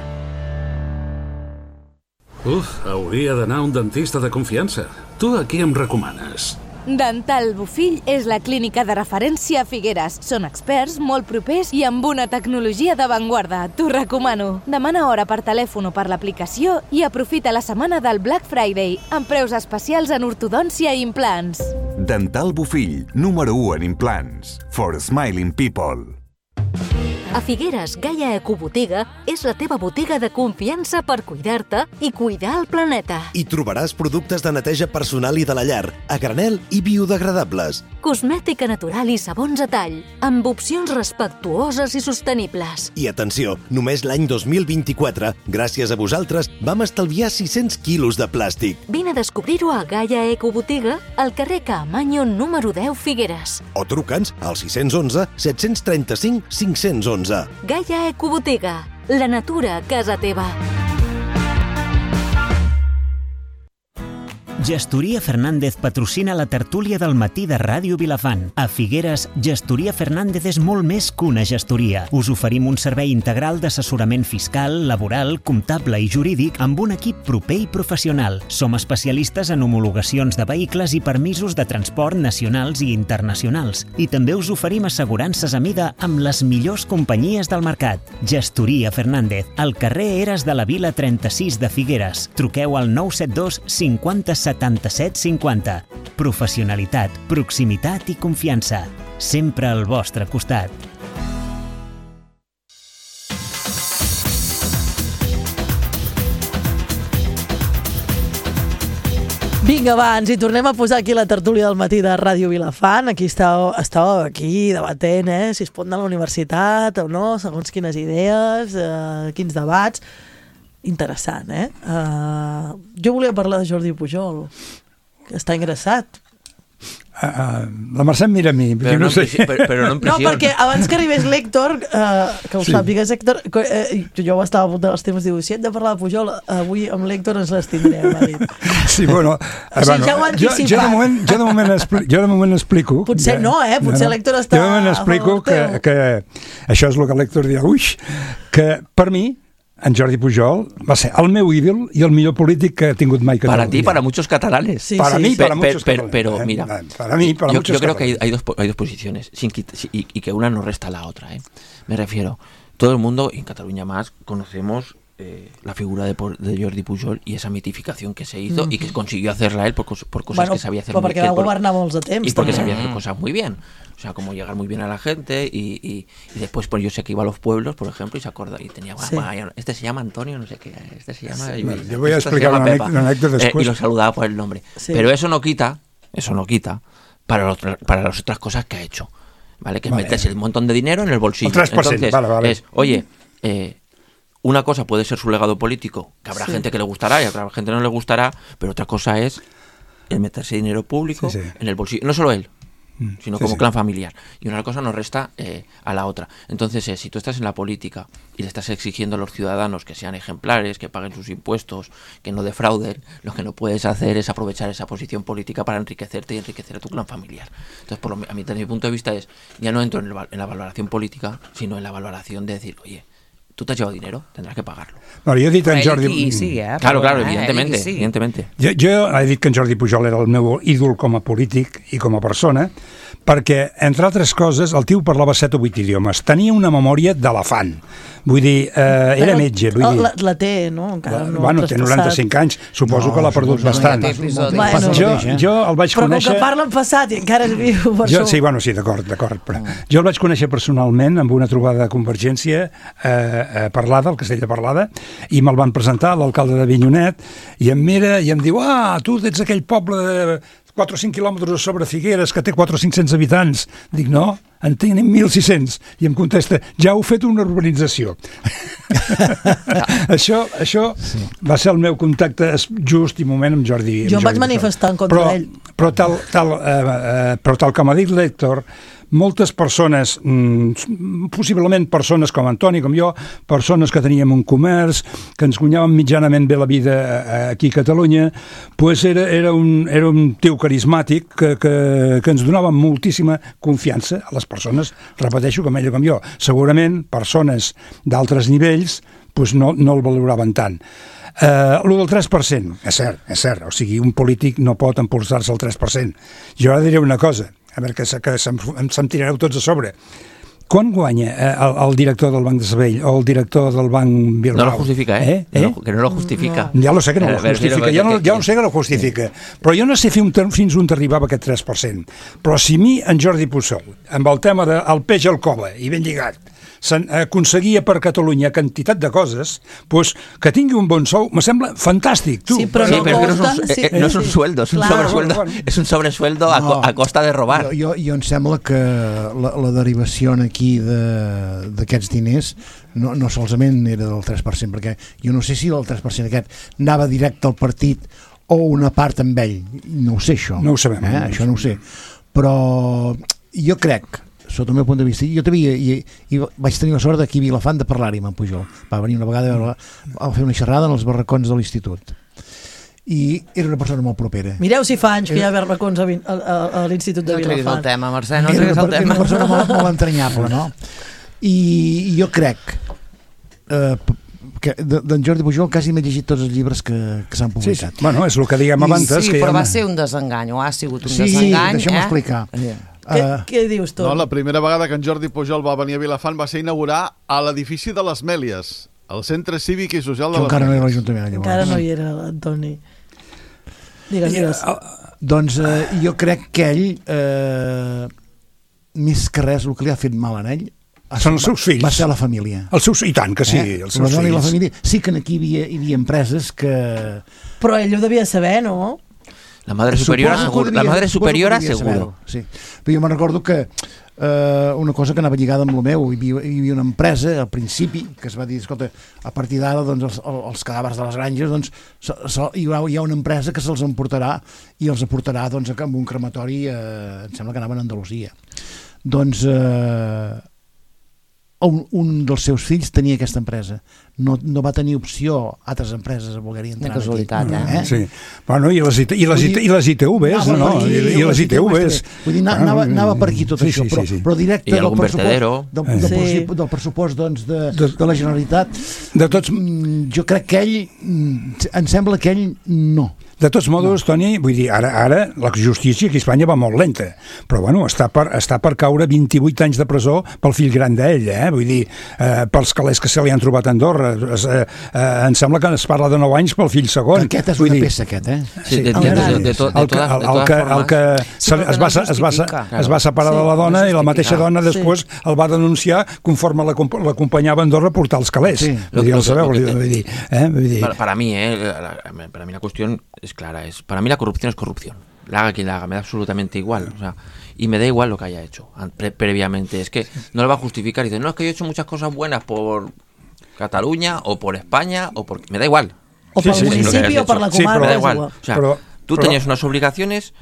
[SPEAKER 14] Hauria d'anar a un dentista de confiança. Tu a qui em recomanes?
[SPEAKER 11] Dental Bofill és la clínica de referència a Figueres. Són experts, molt propers i amb una tecnologia d'avantguarda. T'ho recomano. Demana hora per telèfon o per l'aplicació i aprofita la setmana del Black Friday amb preus especials en ortodòncia i implants.
[SPEAKER 15] Dental Bofill, número 1 en implants. For smiling people.
[SPEAKER 2] A Figueres, Gaia Ecobotiga és la teva botiga de confiança per cuidar-te i cuidar el planeta.
[SPEAKER 16] Hi trobaràs productes de neteja personal i de la llar, a granel i biodegradables.
[SPEAKER 2] Cosmètica natural i sabons a tall, amb opcions respectuoses i sostenibles.
[SPEAKER 16] I atenció, només l'any 2024, gràcies a vosaltres, vam estalviar 600 quilos de plàstic.
[SPEAKER 2] Vine a descobrir-ho a Gaia Ecobotiga, al carrer Caamaño número 10 Figueres.
[SPEAKER 16] O truca'ns al 611 735 511.
[SPEAKER 2] Gaia Ecobotiga, la natura a casa teva.
[SPEAKER 3] Gestoria Fernández patrocina la tertúlia del matí de Ràdio Vilafant. A Figueres, Gestoria Fernández és molt més que una gestoria. Us oferim un servei integral d'assessorament fiscal, laboral, comptable i jurídic amb un equip proper i professional. Som especialistes en homologacions de vehicles i permisos de transport nacionals i internacionals. I també us oferim assegurances a mida amb les millors companyies del mercat. Gestoria Fernández, al carrer Eres de la Vila 36 de Figueres. Truqueu al 972 50 77 50. Professionalitat, proximitat i confiança. Sempre al vostre costat.
[SPEAKER 4] Vinga, va, ens hi tornem a posar aquí la tertúlia del matí de Ràdio Vilafant. Aquí estàveu aquí debatent, si es pot anar a la universitat o no, segons quines idees, quins debats. Interessant, jo volia parlar de Jordi Pujol, que està ingressat.
[SPEAKER 7] La Mercè em mira a mi, però no sé.
[SPEAKER 8] Però no en
[SPEAKER 4] prisió. No, perquè abans que arribés l'Héctor, que ho sàpigues, Héctor, jo estava a punt dels temes, diu, si hem de parlar de Pujol, avui amb l'Héctor ens les tindrem, ha dit.
[SPEAKER 7] Sí, bueno,
[SPEAKER 4] ja ho han anticipat.
[SPEAKER 7] Jo de moment explico.
[SPEAKER 4] Potser no, potser l'Héctor està...
[SPEAKER 7] Jo de moment explico que això és el que l'Héctor dirà, que per mi, en Jordi Pujol va ser el meu ídol y el millor polític que ha tingut mai Catalunya.
[SPEAKER 8] Para ti, para muchos catalanes.
[SPEAKER 7] Sí, para mí, para muchos catalanes.
[SPEAKER 8] Pero mira,
[SPEAKER 7] para mí, para muchos
[SPEAKER 8] yo creo que hay dos posiciones y que una no resta a la otra. Me refiero, todo el mundo, y en Cataluña más, conocemos la figura de Jordi Pujol y esa mitificación que se hizo y que consiguió hacerla él por cosas que sabía hacer muy bien.
[SPEAKER 4] Porque va gobernar molts de temps.
[SPEAKER 8] Y porque sabía hacer cosas muy bien. O sea, como llegar muy bien a la gente y después, pues yo sé que iba a los pueblos, por ejemplo, y se acuerda y tenía, este se llama Antonio, no sé qué, este se llama...
[SPEAKER 7] Sí, bueno, yo voy a explicar una anécdota después.
[SPEAKER 8] Y lo saludaba por el nombre. Sí. Pero eso no quita para las otras cosas que ha hecho, ¿vale? Que es meterse un montón de dinero en el bolsillo. Entonces, es, oye, una cosa puede ser su legado político, que habrá gente que le gustará y a otra gente no le gustará, pero otra cosa es el meterse dinero público en el bolsillo. No solo él, sino como clan familiar. Y una cosa no resta a la otra. Entonces, si tú estás en la política y le estás exigiendo a los ciudadanos que sean ejemplares, que paguen sus impuestos, que no defrauden, lo que no puedes hacer es aprovechar esa posición política para enriquecerte y enriquecer a tu clan familiar. Entonces, a mí, desde mi punto de vista, ya no entro en la valoración política, sino en la valoración de decir, oye, tú te has llevado dinero, tendràs que pagar-lo.
[SPEAKER 7] Bueno, jo he dit en Jordi...
[SPEAKER 8] Claro, evidentemente.
[SPEAKER 7] Jo he dit que en Jordi Pujol era el meu ídol com a polític i com a persona, perquè, entre altres coses, el tio parlava 7 o 8 idiomes. Tenia una memòria d'elefant. Vull dir, era metge. Vull dir.
[SPEAKER 4] La té, no? Encara no
[SPEAKER 7] bueno, té 95 anys. Suposo que l'ha perdut bastant. Jo el vaig conèixer...
[SPEAKER 4] Però com que parla en passat i encara és viu, per això...
[SPEAKER 7] Sí, bueno, sí, d'acord. Però jo el vaig conèixer personalment amb una trobada de Convergència a Parlada, al Castell de Parlada, i me'l van presentar a l'alcalde de Avinyonet, i em mira i em diu, tu ets aquell poble de 4 o 5 quilòmetres sobre Figueres que té 4 o 500 habitants. Dic, no, en tenim 1.600. I em contesta, ja heu fet una urbanització. Això va ser el meu contacte just i moment amb Jordi.
[SPEAKER 4] Jo em vaig manifestar en contra d'ell.
[SPEAKER 7] Però tal com ha dit l'Héctor, moltes persones, possiblement persones com Antoni, com jo, persones que teníem un comerç, que ens guanyàvem mitjanament bé la vida aquí a Catalunya, pues era un tio carismàtic que ens donava moltíssima confiança a les persones, repeteixo, com ell o com jo. Segurament, persones d'altres nivells pues no el valoraven tant. Lo del 3%, és cert, o sigui, un polític no pot impulsar-se al 3%. Jo ara diré una cosa, a veure que se'm tirareu tots a sobre. Quan guanya el director del Banc de Sabadell o el director del Banc Bilbao?
[SPEAKER 8] No lo justifica, que no lo justifica.
[SPEAKER 7] Ja lo sé que no lo justifica, ja no sé que lo justifica, però jo no sé fins on arribava aquest 3%. Però si mi, en Jordi Pujol, amb el tema del peix al cova, i ben lligat, aconseguia per Catalunya quantitat de coses, pues que tingui un bon sou, me sembla fantàstic, tu.
[SPEAKER 4] Sí, però
[SPEAKER 8] no és un sueldo, és un sobresueldo a costa de robar.
[SPEAKER 5] Jo em sembla que la derivació aquí d'aquests diners no solament era del 3%, perquè jo no sé si el 3% aquest anava directe al partit o una part amb ell, no ho sé això.
[SPEAKER 7] No ho sabem.
[SPEAKER 5] Això no ho sé. Però jo crec, sota el meu punt de vista, jo i vaig tenir la sort d'aquí a Vilafant de parlar-hi amb en Pujol. Va venir una vegada a fer una xerrada en els barracons de l'institut. I era una persona molt propera.
[SPEAKER 4] Mireu si fa anys que hi ha barracons a l'Institut de Vilafant.
[SPEAKER 9] No treguis el tema, Mercè, no treguis el tema.
[SPEAKER 5] Era una persona molt entranyable, no? I jo crec que d'en Jordi Pujol quasi m'he llegit tots els llibres que s'han publicat.
[SPEAKER 7] Sí, bueno, és el que diguem abans.
[SPEAKER 9] Sí, però va ser un desengany, o ha sigut un desengany.
[SPEAKER 5] Sí, deixa'm explicar.
[SPEAKER 4] Què dius tu?
[SPEAKER 17] No, la primera vegada que en Jordi Pujol va venir a Vilafant va ser inaugurar a l'edifici de les Mèlies, al Centre Cívic i Social de les Mèlies.
[SPEAKER 5] Encara no era l'Ajuntament.
[SPEAKER 4] Encara no hi era, Antoni. Digues.
[SPEAKER 5] Doncs jo crec que ell, més que res, el que li ha fet mal a ell
[SPEAKER 7] són els seus fills.
[SPEAKER 5] Va ser la família.
[SPEAKER 7] I tant que sí, els seus fills.
[SPEAKER 5] La família. Sí que aquí hi havia empreses que...
[SPEAKER 4] Però ell ho devia saber, no?
[SPEAKER 8] La madre superiora seguro.
[SPEAKER 5] Sí. Però jo me'n recordo que una cosa que anava lligada amb el meu, hi havia una empresa al principi que es va dir, escolta, a partir d'ara doncs, els cadàvers de les granges doncs, hi ha una empresa que se'ls emportarà i els aportarà doncs, amb un crematori, em sembla que anaven a Andalusia. Doncs un dels seus fills tenia aquesta empresa. No va tenir opció altres empreses a voler entrar
[SPEAKER 9] aquí. De casualitat,
[SPEAKER 7] Sí. Bueno, i les ITVs, no? I les ITVs.
[SPEAKER 5] Vull dir, anava per aquí tot això, però directe del pressupost de la Generalitat. Jo crec que ell, em sembla que ell no.
[SPEAKER 7] De tots modos, Toni, vull dir, ara la justícia aquí a Espanya va molt lenta, però bueno, està per caure 28 anys de presó pel fill gran d'ell, vull dir, pels calés que se li han trobat a Andorra. Em sembla que es parla de 9 anys pel fill segon.
[SPEAKER 5] Aquest és una peça, aquest,
[SPEAKER 8] Sí,
[SPEAKER 7] el que es va separar de la dona i la mateixa dona després el va denunciar conforme l'acompanyava a Andorra a portar els calés. Ja ho sabeu, vull dir.
[SPEAKER 8] Para mí la cuestión es clara, para mí la corrupción es corrupción, la haga quien la haga, me da absolutamente igual, o sea, y me da igual lo que haya hecho previamente, es que no lo va a justificar y dice, no, es que yo he hecho muchas cosas buenas por Cataluña o por España o por... me da igual.
[SPEAKER 4] O por el municipio o por la comarca,
[SPEAKER 8] me da igual. O sea, tú tenías unas obligaciones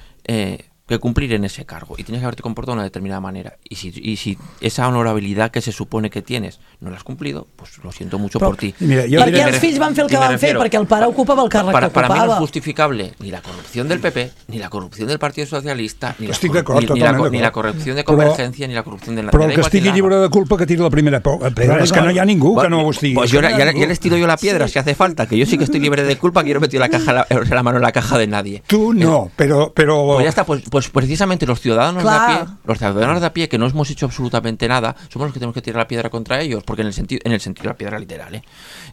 [SPEAKER 8] que cumplir en ese cargo y tienes que haberte comportado de una determinada manera y si esa honorabilidad que se supone que tienes no la has cumplido, pues lo siento mucho por ti.
[SPEAKER 4] Perquè els fills van fer el que van fer, perquè el pare ocupava el càrrec que ocupava.
[SPEAKER 8] Para mí no es justificable ni la corrupción del PP, ni la corrupción del Partido Socialista, ni la corrupción de Convergencia, ni la corrupción de la...
[SPEAKER 7] Però el que estigui lliure de culpa que tiri la primera pedra. És que no hi ha ningú que no ho estigui.
[SPEAKER 8] Pues ya les tiro yo la piedra si hace falta, que yo sí que estoy libre de culpa, que yo no he metido la mano en la caja de nadie.
[SPEAKER 7] Tú no, pero...
[SPEAKER 8] Pues ya está, pues Pues precisamente los ciudadanos de a pie que no hemos hecho absolutamente nada, somos los que tenemos que tirar la piedra contra ellos, porque en el sentido de la piedra literal,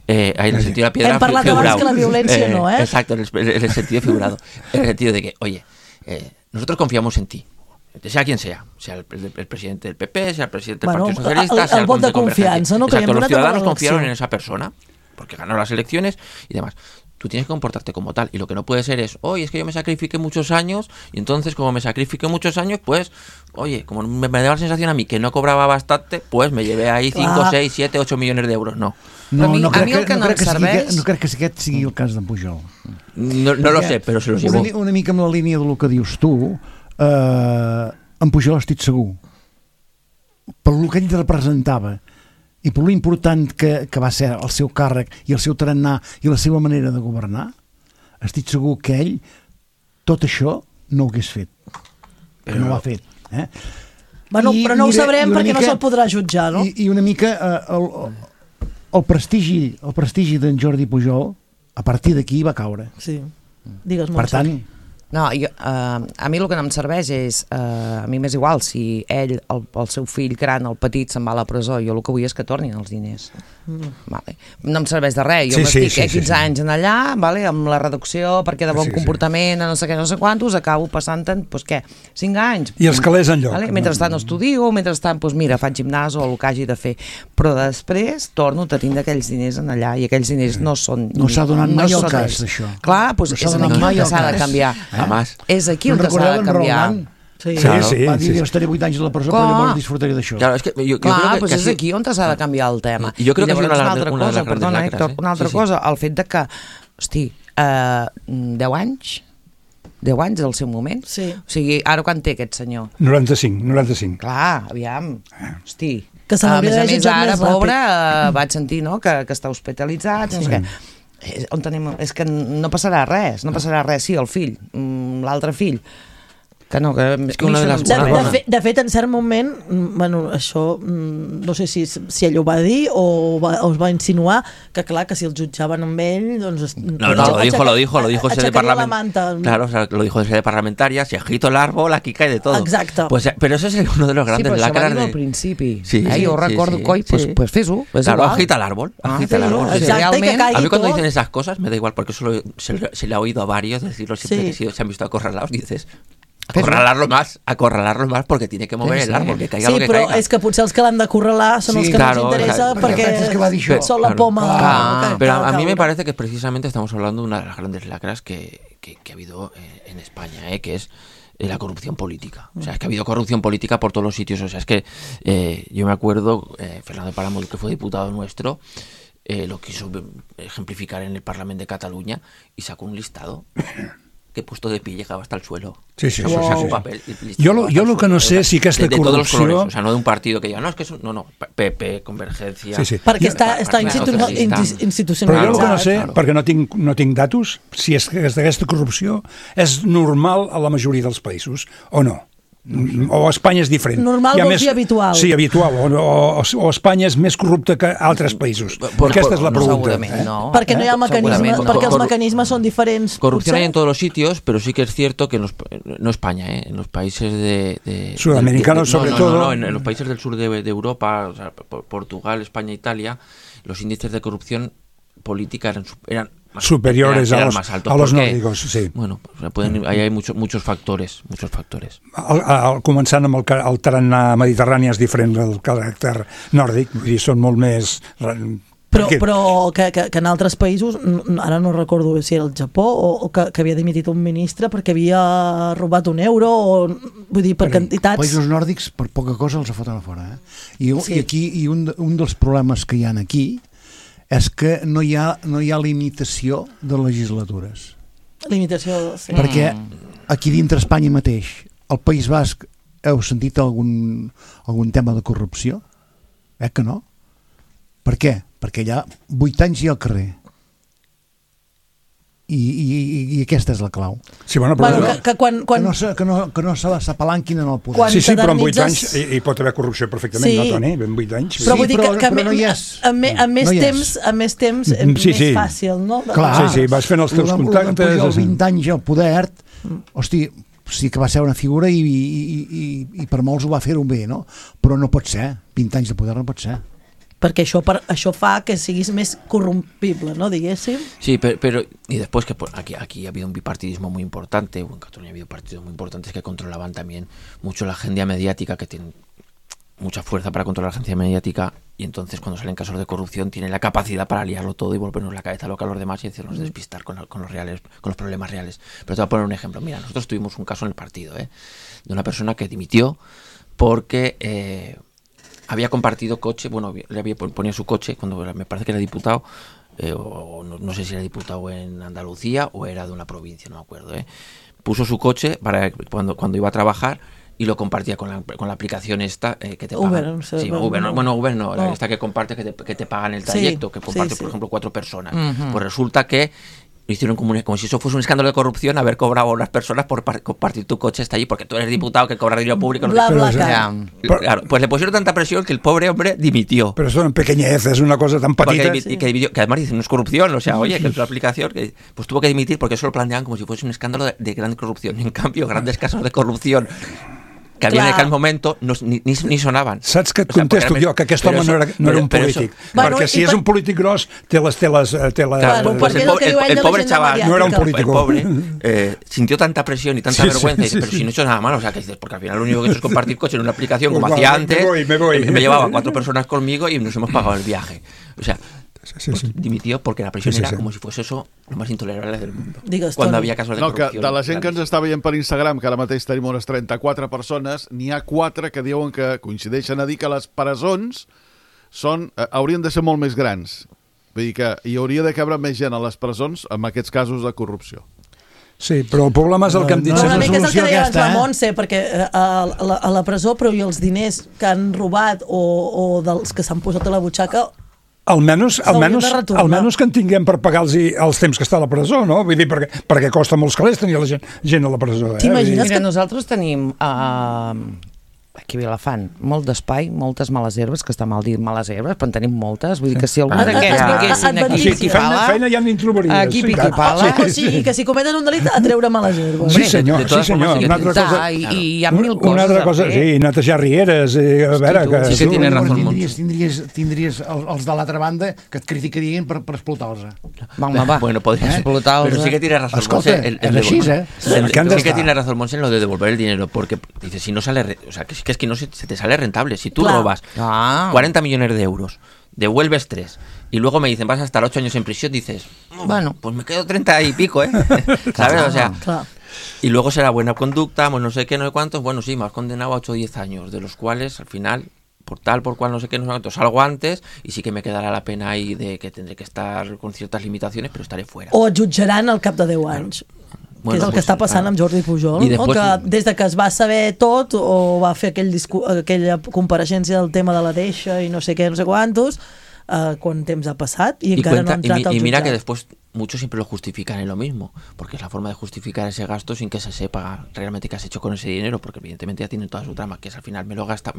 [SPEAKER 8] en el sentido de la piedra
[SPEAKER 4] hem parlat abans que la violència no,
[SPEAKER 8] Exacto, en el sentido figurado, en el sentido de que, oye, nosotros confiamos en ti, sea quien sea el presidente del PP, sea el presidente del Partido Socialista, sea el
[SPEAKER 4] vot de confiança, no?
[SPEAKER 8] Exacto, los ciudadanos confiaron en esa persona, porque ganó las elecciones y demás. Tú tienes que comportarte como tal, y lo que no puede ser es, oye, es que yo me sacrifiqué muchos años, y entonces como me sacrifiqué muchos años, pues, oye, como me daba la sensación a mí que no cobraba bastante, pues me llevé ahí 5, 6, 7, 8 millones de euros. No
[SPEAKER 5] crec que aquest sigui el cas d'en Pujol.
[SPEAKER 8] No lo sé, però se los llevó.
[SPEAKER 5] Una mica amb la línia del que dius tu, en Pujol estic segur, per lo que ell representava, i per l'important que va ser el seu càrrec i el seu tarannà i la seva manera de governar, estic segur que ell tot això no ho hagués fet, que no ho ha fet.
[SPEAKER 4] Bueno, però no ho sabrem perquè no se'l podrà jutjar, no?
[SPEAKER 5] I una mica el prestigi d'en Jordi Pujol a partir d'aquí va caure.
[SPEAKER 4] Sí, digues
[SPEAKER 5] molt. Per tant,
[SPEAKER 9] no, a mi el que no em serveix és, a mi m'és igual si ell, el seu fill gran, el petit, se'n va a la presó, jo el que vull és que tornin els diners. Vale. No em serveix de res, jo m'estic 15 anys en allà, vale, amb la reducció perquè de bon comportament, no sé què, no sé quantos, acabo passant-te'n, doncs què, 5 anys.
[SPEAKER 7] I els calés enlloc.
[SPEAKER 9] Vale? Mentrestant estudio, mentrestant, doncs mira, faig gimnàs o el que hagi de fer, però després torno a tindre aquells diners en allà i aquells diners no són...
[SPEAKER 5] No s'ha donat mai el cas d'això.
[SPEAKER 9] Clar, doncs és aquí que s'ha de canviar. És aquí on s'ha de canviar.
[SPEAKER 5] Sí. Va dir, jo estaré 8 anys a la presó, però llavors disfrutaré d'això.
[SPEAKER 8] Claro, es que yo
[SPEAKER 9] clar,
[SPEAKER 8] creo
[SPEAKER 9] pues és aquí on s'ha de canviar el tema.
[SPEAKER 8] I jo crec que és una
[SPEAKER 9] altra cosa, perdona, Héctor, una altra cosa, el fet de que, hosti, 10 anys del seu moment.
[SPEAKER 4] Sí.
[SPEAKER 9] O sigui, ara quan té aquest senyor?
[SPEAKER 7] 95.
[SPEAKER 9] Clar, aviam, hosti.
[SPEAKER 4] Que se l'hauria de jutjar
[SPEAKER 9] ara,
[SPEAKER 4] més
[SPEAKER 9] pobre,
[SPEAKER 4] ràpid.
[SPEAKER 9] Vaig sentir, no?, que està hospitalitzat, no sé què. On tenim... És que no passarà res, sí, el fill, l'altre fill, que no, que... És que
[SPEAKER 4] de fet, en cert moment, bueno, això, no sé si ell ho va dir o es va insinuar, que clar, que si el jutjaven amb ell, doncs...
[SPEAKER 8] No, lo dijo sede parlamentaria. Claro, o sea, lo dijo de sede parlamentaria, si agito el árbol, aquí cae de todo.
[SPEAKER 4] Exacto.
[SPEAKER 8] Pues, pero eso es uno de los grandes lacras.
[SPEAKER 9] Sí, però això va dir al principi. Jo recordo, coi, pues fes-ho.
[SPEAKER 8] Claro, agita el árbol.
[SPEAKER 4] Exacte,
[SPEAKER 8] a mí cuando dicen esas cosas me da igual, porque eso se le ha oído a varios decirlo siempre que se han visto acorralados, dices... Acorralarlo más porque tiene que mover el árbol, que caiga lo que caiga.
[SPEAKER 4] Sí, però és que potser els que l'han d'acurralar són els que no ens interessa perquè són la poma.
[SPEAKER 8] Pero a mí me parece que precisamente estamos hablando de una de las grandes lacras que ha habido en España, que es la corrupción política. O sea, es que ha habido corrupción política por todos los sitios. O sea, es que yo me acuerdo, Fernando de Páramo, que fue diputado nuestro, lo quiso ejemplificar en el Parlamento de Cataluña y sacó un listado que puesto de pie llegaba hasta el suelo.
[SPEAKER 7] Sí.
[SPEAKER 8] Un papel,
[SPEAKER 7] yo lo que no sé si aquesta
[SPEAKER 8] de
[SPEAKER 7] corrupció...
[SPEAKER 8] todos los colores, o sea, no de un partido que diga, no, es que es no, PP, Convergencia...
[SPEAKER 7] Sí.
[SPEAKER 4] Perquè està institucionalitzat.
[SPEAKER 7] Però jo el que no sé, perquè no tinc datos, si és que aquesta corrupció és normal a la majoria dels països, o no? O Espanya és diferent.
[SPEAKER 4] Normal vols dir habitual.
[SPEAKER 7] Sí, habitual. O Espanya és més corrupta que altres països. Aquesta és la pregunta.
[SPEAKER 9] Segurament no.
[SPEAKER 4] Perquè no hi ha mecanismes, perquè els mecanismes són diferents.
[SPEAKER 8] Corrupción hay en todos los sitios, pero sí que es cierto que no España, en los países de
[SPEAKER 7] sudamericanos sobre todo.
[SPEAKER 8] No, en los países del sur de Europa, o sea, Portugal, España, Italia, los índices de corrupción política eran
[SPEAKER 7] superiores a los nórdicos, sí.
[SPEAKER 8] Bueno, ahí hay muchos factores.
[SPEAKER 7] Començant amb el tarannà mediterrani és diferent del caràcter nòrdic, vull dir, són molt més...
[SPEAKER 4] Però que en altres països, ara no recordo si era el Japó o que havia dimitit un ministre perquè havia robat un euro, vull dir, per quantitats...
[SPEAKER 5] Països nòrdics per poca cosa els foten a fora. I aquí un dels problemes que hi ha aquí és que no hi ha limitació de legislatures.
[SPEAKER 4] Limitació, sí.
[SPEAKER 5] Perquè aquí dintre Espanya mateix, al País Basc, heu sentit algun tema de corrupció? Que no? Per què? Perquè allà 8 anys hi ha al carrer. I aquesta és la clau.
[SPEAKER 7] Sí, bueno, però
[SPEAKER 5] que no se s'apalanquin en el poder.
[SPEAKER 7] Sí, però en 8 anys hi pot haver corrupció perfectament, no, Toni? En 8 anys.
[SPEAKER 4] Però vull dir que no hi és. Amb més temps és més fàcil, no?
[SPEAKER 7] Clar, sí, vas fent els teus contactes.
[SPEAKER 5] Els 20 anys al poder, hosti, sí que va ser una figura i per molts ho va fer-ho bé, no? Però no pot ser, 20 anys de poder no pot ser.
[SPEAKER 4] Perquè això fa que siguis més corrompible, ¿no? Diguéssim.
[SPEAKER 8] Sí, pero y después que aquí ha habido un bipartidismo muy importante, en Cataluña ha habido partidos muy importantes que controlaban también mucho la agenda mediática, que tienen mucha fuerza para controlar la agencia mediática, y entonces cuando salen casos de corrupción tienen la capacidad para liarlo todo y volvernos la cabeza loca a los demás y hacernos despistar con los problemas reales. Pero te voy a poner un ejemplo. Mira, nosotros tuvimos un caso en el partido, de una persona que dimitió porque había compartido coche, ponía su coche cuando me parece que era diputado, o no sé si era diputado en Andalucía o era de una provincia, no me acuerdo. Puso su coche para cuando iba a trabajar y lo compartía con la aplicación esta que te pagan. Uber no. Esta que comparte que te pagan el trayecto, que comparte, por ejemplo, 4 personas. Pues resulta que lo hicieron como si eso fuese un escándalo de corrupción, haber cobrado a unas personas por compartir tu coche hasta allí, porque tú eres diputado que cobra dinero público. Claro, pues le pusieron tanta presión que el pobre hombre dimitió.
[SPEAKER 7] Pero son pequeñeces, una cosa tan patita.
[SPEAKER 8] Que además dicen, no es corrupción, o sea, oye, que es una aplicación, pues tuvo que dimitir porque eso lo planteaban como si fuese un escándalo de gran corrupción. En cambio, grandes casos de corrupción que havia en aquell moment ni sonaven.
[SPEAKER 7] Saps que et contesto jo que aquest home no era un polític? Perquè si és un polític gros té les...
[SPEAKER 8] El pobre chaval
[SPEAKER 7] no era un político.
[SPEAKER 8] El pobre sintió tanta presión y tanta vergüenza y dice, pero si no he hecho nada malo, o sea, que dices, porque al final lo único que he hecho es compartir coche en una aplicación como hacía antes, me llevaba 4 personas conmigo y nos hemos pagado el viaje. O sea, dimitió porque la presión era como si fuese eso lo más intolerable del mundo. Cuando había casos de corrupción.
[SPEAKER 17] De la gent que ens està veient per Instagram, que ara mateix tenim unes 34 persones, n'hi ha 4 que diuen que coincideixen a dir que les presons haurien de ser molt més grans. Vull dir que hi hauria de cabre més gent a les presons amb aquests casos de corrupció.
[SPEAKER 7] Sí, però el problema és el que hem dit.
[SPEAKER 4] Una mica és el que deia abans la Montse, perquè a la presó, però i els diners que han robat o dels que s'han posat a la butxaca,
[SPEAKER 7] almenys que en tinguem per pagar els temps que està a la presó, no? Vull dir, perquè costa molts calés tenir la gent a la presó.
[SPEAKER 9] T'imagines que nosaltres tenim aquí a Vilafant molt d'espai, moltes males herbes, que està mal dir males herbes, però en tenim moltes, vull dir que si algun d'aquests vinguessin aquí piqui-pala,
[SPEAKER 7] feina ja n'hi trobaries.
[SPEAKER 9] Aquí piqui-pala.
[SPEAKER 4] O sigui, que si cometen un delit a treure males herbes.
[SPEAKER 7] Sí senyor.
[SPEAKER 9] I hi ha mil coses
[SPEAKER 7] una altra cosa, sí, netejar rieres, a veure...
[SPEAKER 8] Sí que tienes razón.
[SPEAKER 5] Tindries els de l'altra banda que et criticarien per explotar-los.
[SPEAKER 8] Bueno, podrías explotar-los. Pero sí que tienes razón.
[SPEAKER 5] Escolta, és així,
[SPEAKER 8] Sí que tienes razón, Monse, en lo de devolver el dinero, porque dice, si no sale... O sea, que es que no se te sale rentable. Si tú robas 40 millones de euros, devuelves 3 y luego me dicen vas a estar 8 años en prisión, dices, bueno, pues me quedo 30 y pico, ¿sabes? O sea, y luego será buena conducta, pues no sé qué, no sé cuántos, bueno, sí, me has condenado a 8 o 10 años, de los cuales al final, por cual, no sé qué, no sé cuántos, salgo antes y sí que me quedará la pena ahí de que tendré que estar con ciertas limitaciones, pero estaré fuera.
[SPEAKER 4] O et jutjaran al cap de 10 anys. Que és el que està passant amb Jordi Pujol, que des de que es va saber tot o va fer aquella compareixença del tema de la deixa i no sé què, no sé quantos, quant temps ha passat i encara no ha entrat al jutjat.
[SPEAKER 8] Y mira que después muchos siempre lo justifican en lo mismo, porque es la forma de justificar ese gasto sin que se sepa realmente qué has hecho con ese dinero, porque evidentemente ya tienen toda su trama, que es al final me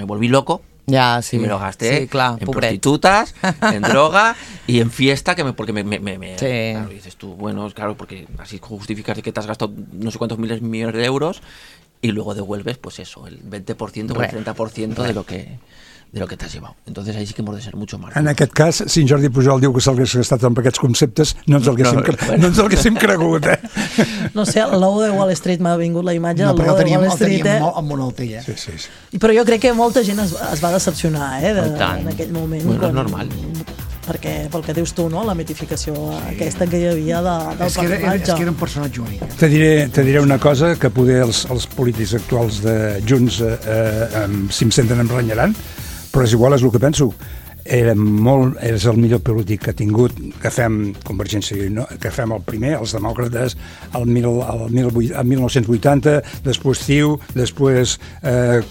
[SPEAKER 8] volví loco, y me lo gasté en prostitutas, en droga y en fiesta, porque claro, dices tú, bueno, claro, porque así justificas que te has gastado no sé cuántos millones de euros y luego devuelves, pues eso, el 20% o el 30% de lo que t'has llevat. Entonces ahí sí que hemos de ser mucho más.
[SPEAKER 7] En aquest cas, si en Jordi Pujol diu que s'hagués gastat amb aquests conceptes, no ens el haguéssim cregut,
[SPEAKER 4] No sé, el logo de Wall Street m'ha vingut la imatge del logo de Wall Street.
[SPEAKER 5] El teníem amb una altella.
[SPEAKER 7] Sí.
[SPEAKER 4] Però jo crec que molta gent es va decepcionar, en aquell moment.
[SPEAKER 8] Bueno, és normal.
[SPEAKER 4] Perquè, pel que dius tu, no? La mitificació aquesta que hi havia del personatge.
[SPEAKER 5] És que era un personatge únic.
[SPEAKER 7] Te diré una cosa que poder els polítics actuals de Junts, si em senten, em renyaran, però és igual, és el que penso. És el millor polític que ha tingut, que fem Convergència i Unió, que fem el primer, els demòcrates, el 1980, després CiU, després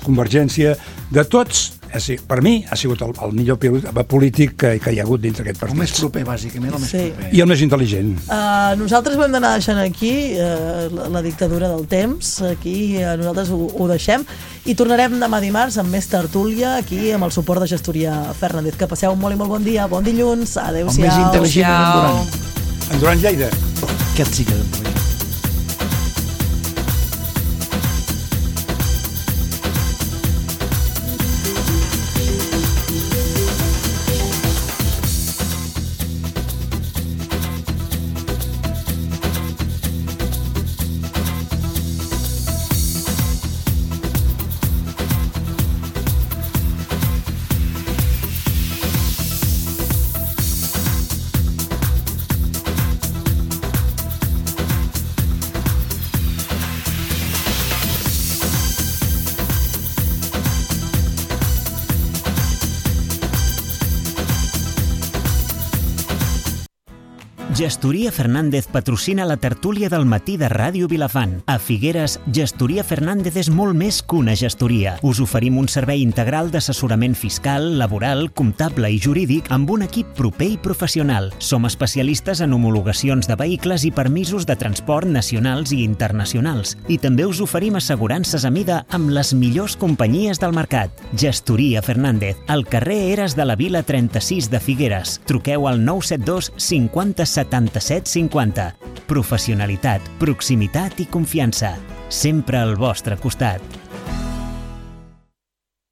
[SPEAKER 7] Convergència, de tots. Per mi ha sigut el millor polític que hi ha hagut dintre aquest partit.
[SPEAKER 5] El més proper, bàsicament, el més proper.
[SPEAKER 7] I el més intel·ligent.
[SPEAKER 4] Nosaltres ho hem d'anar deixant aquí, la dictadura del temps, aquí nosaltres ho deixem, i tornarem demà dimarts amb més tertúlia, aquí amb el suport de Gestoria Fernández. Que passeu un molt i molt bon dia, bon dilluns, adeu-siau.
[SPEAKER 5] El més intel·ligent
[SPEAKER 7] en Duran Lleida.
[SPEAKER 5] Aquest sí que és
[SPEAKER 3] Gestoria Fernández patrocina la tertúlia del matí de Ràdio Vilafant. A Figueres, Gestoria Fernández és molt més que una gestoria. Us oferim un servei integral d'assessorament fiscal, laboral, comptable i jurídic amb un equip proper i professional. Som especialistes en homologacions de vehicles i permisos de transport nacionals i internacionals. I també us oferim assegurances a mida amb les millors companyies del mercat. Gestoria Fernández, al carrer Eres de la Vila 36 de Figueres. Truqueu al 972 50 77 50. Professionalitat, proximitat i confiança. Sempre al vostre costat.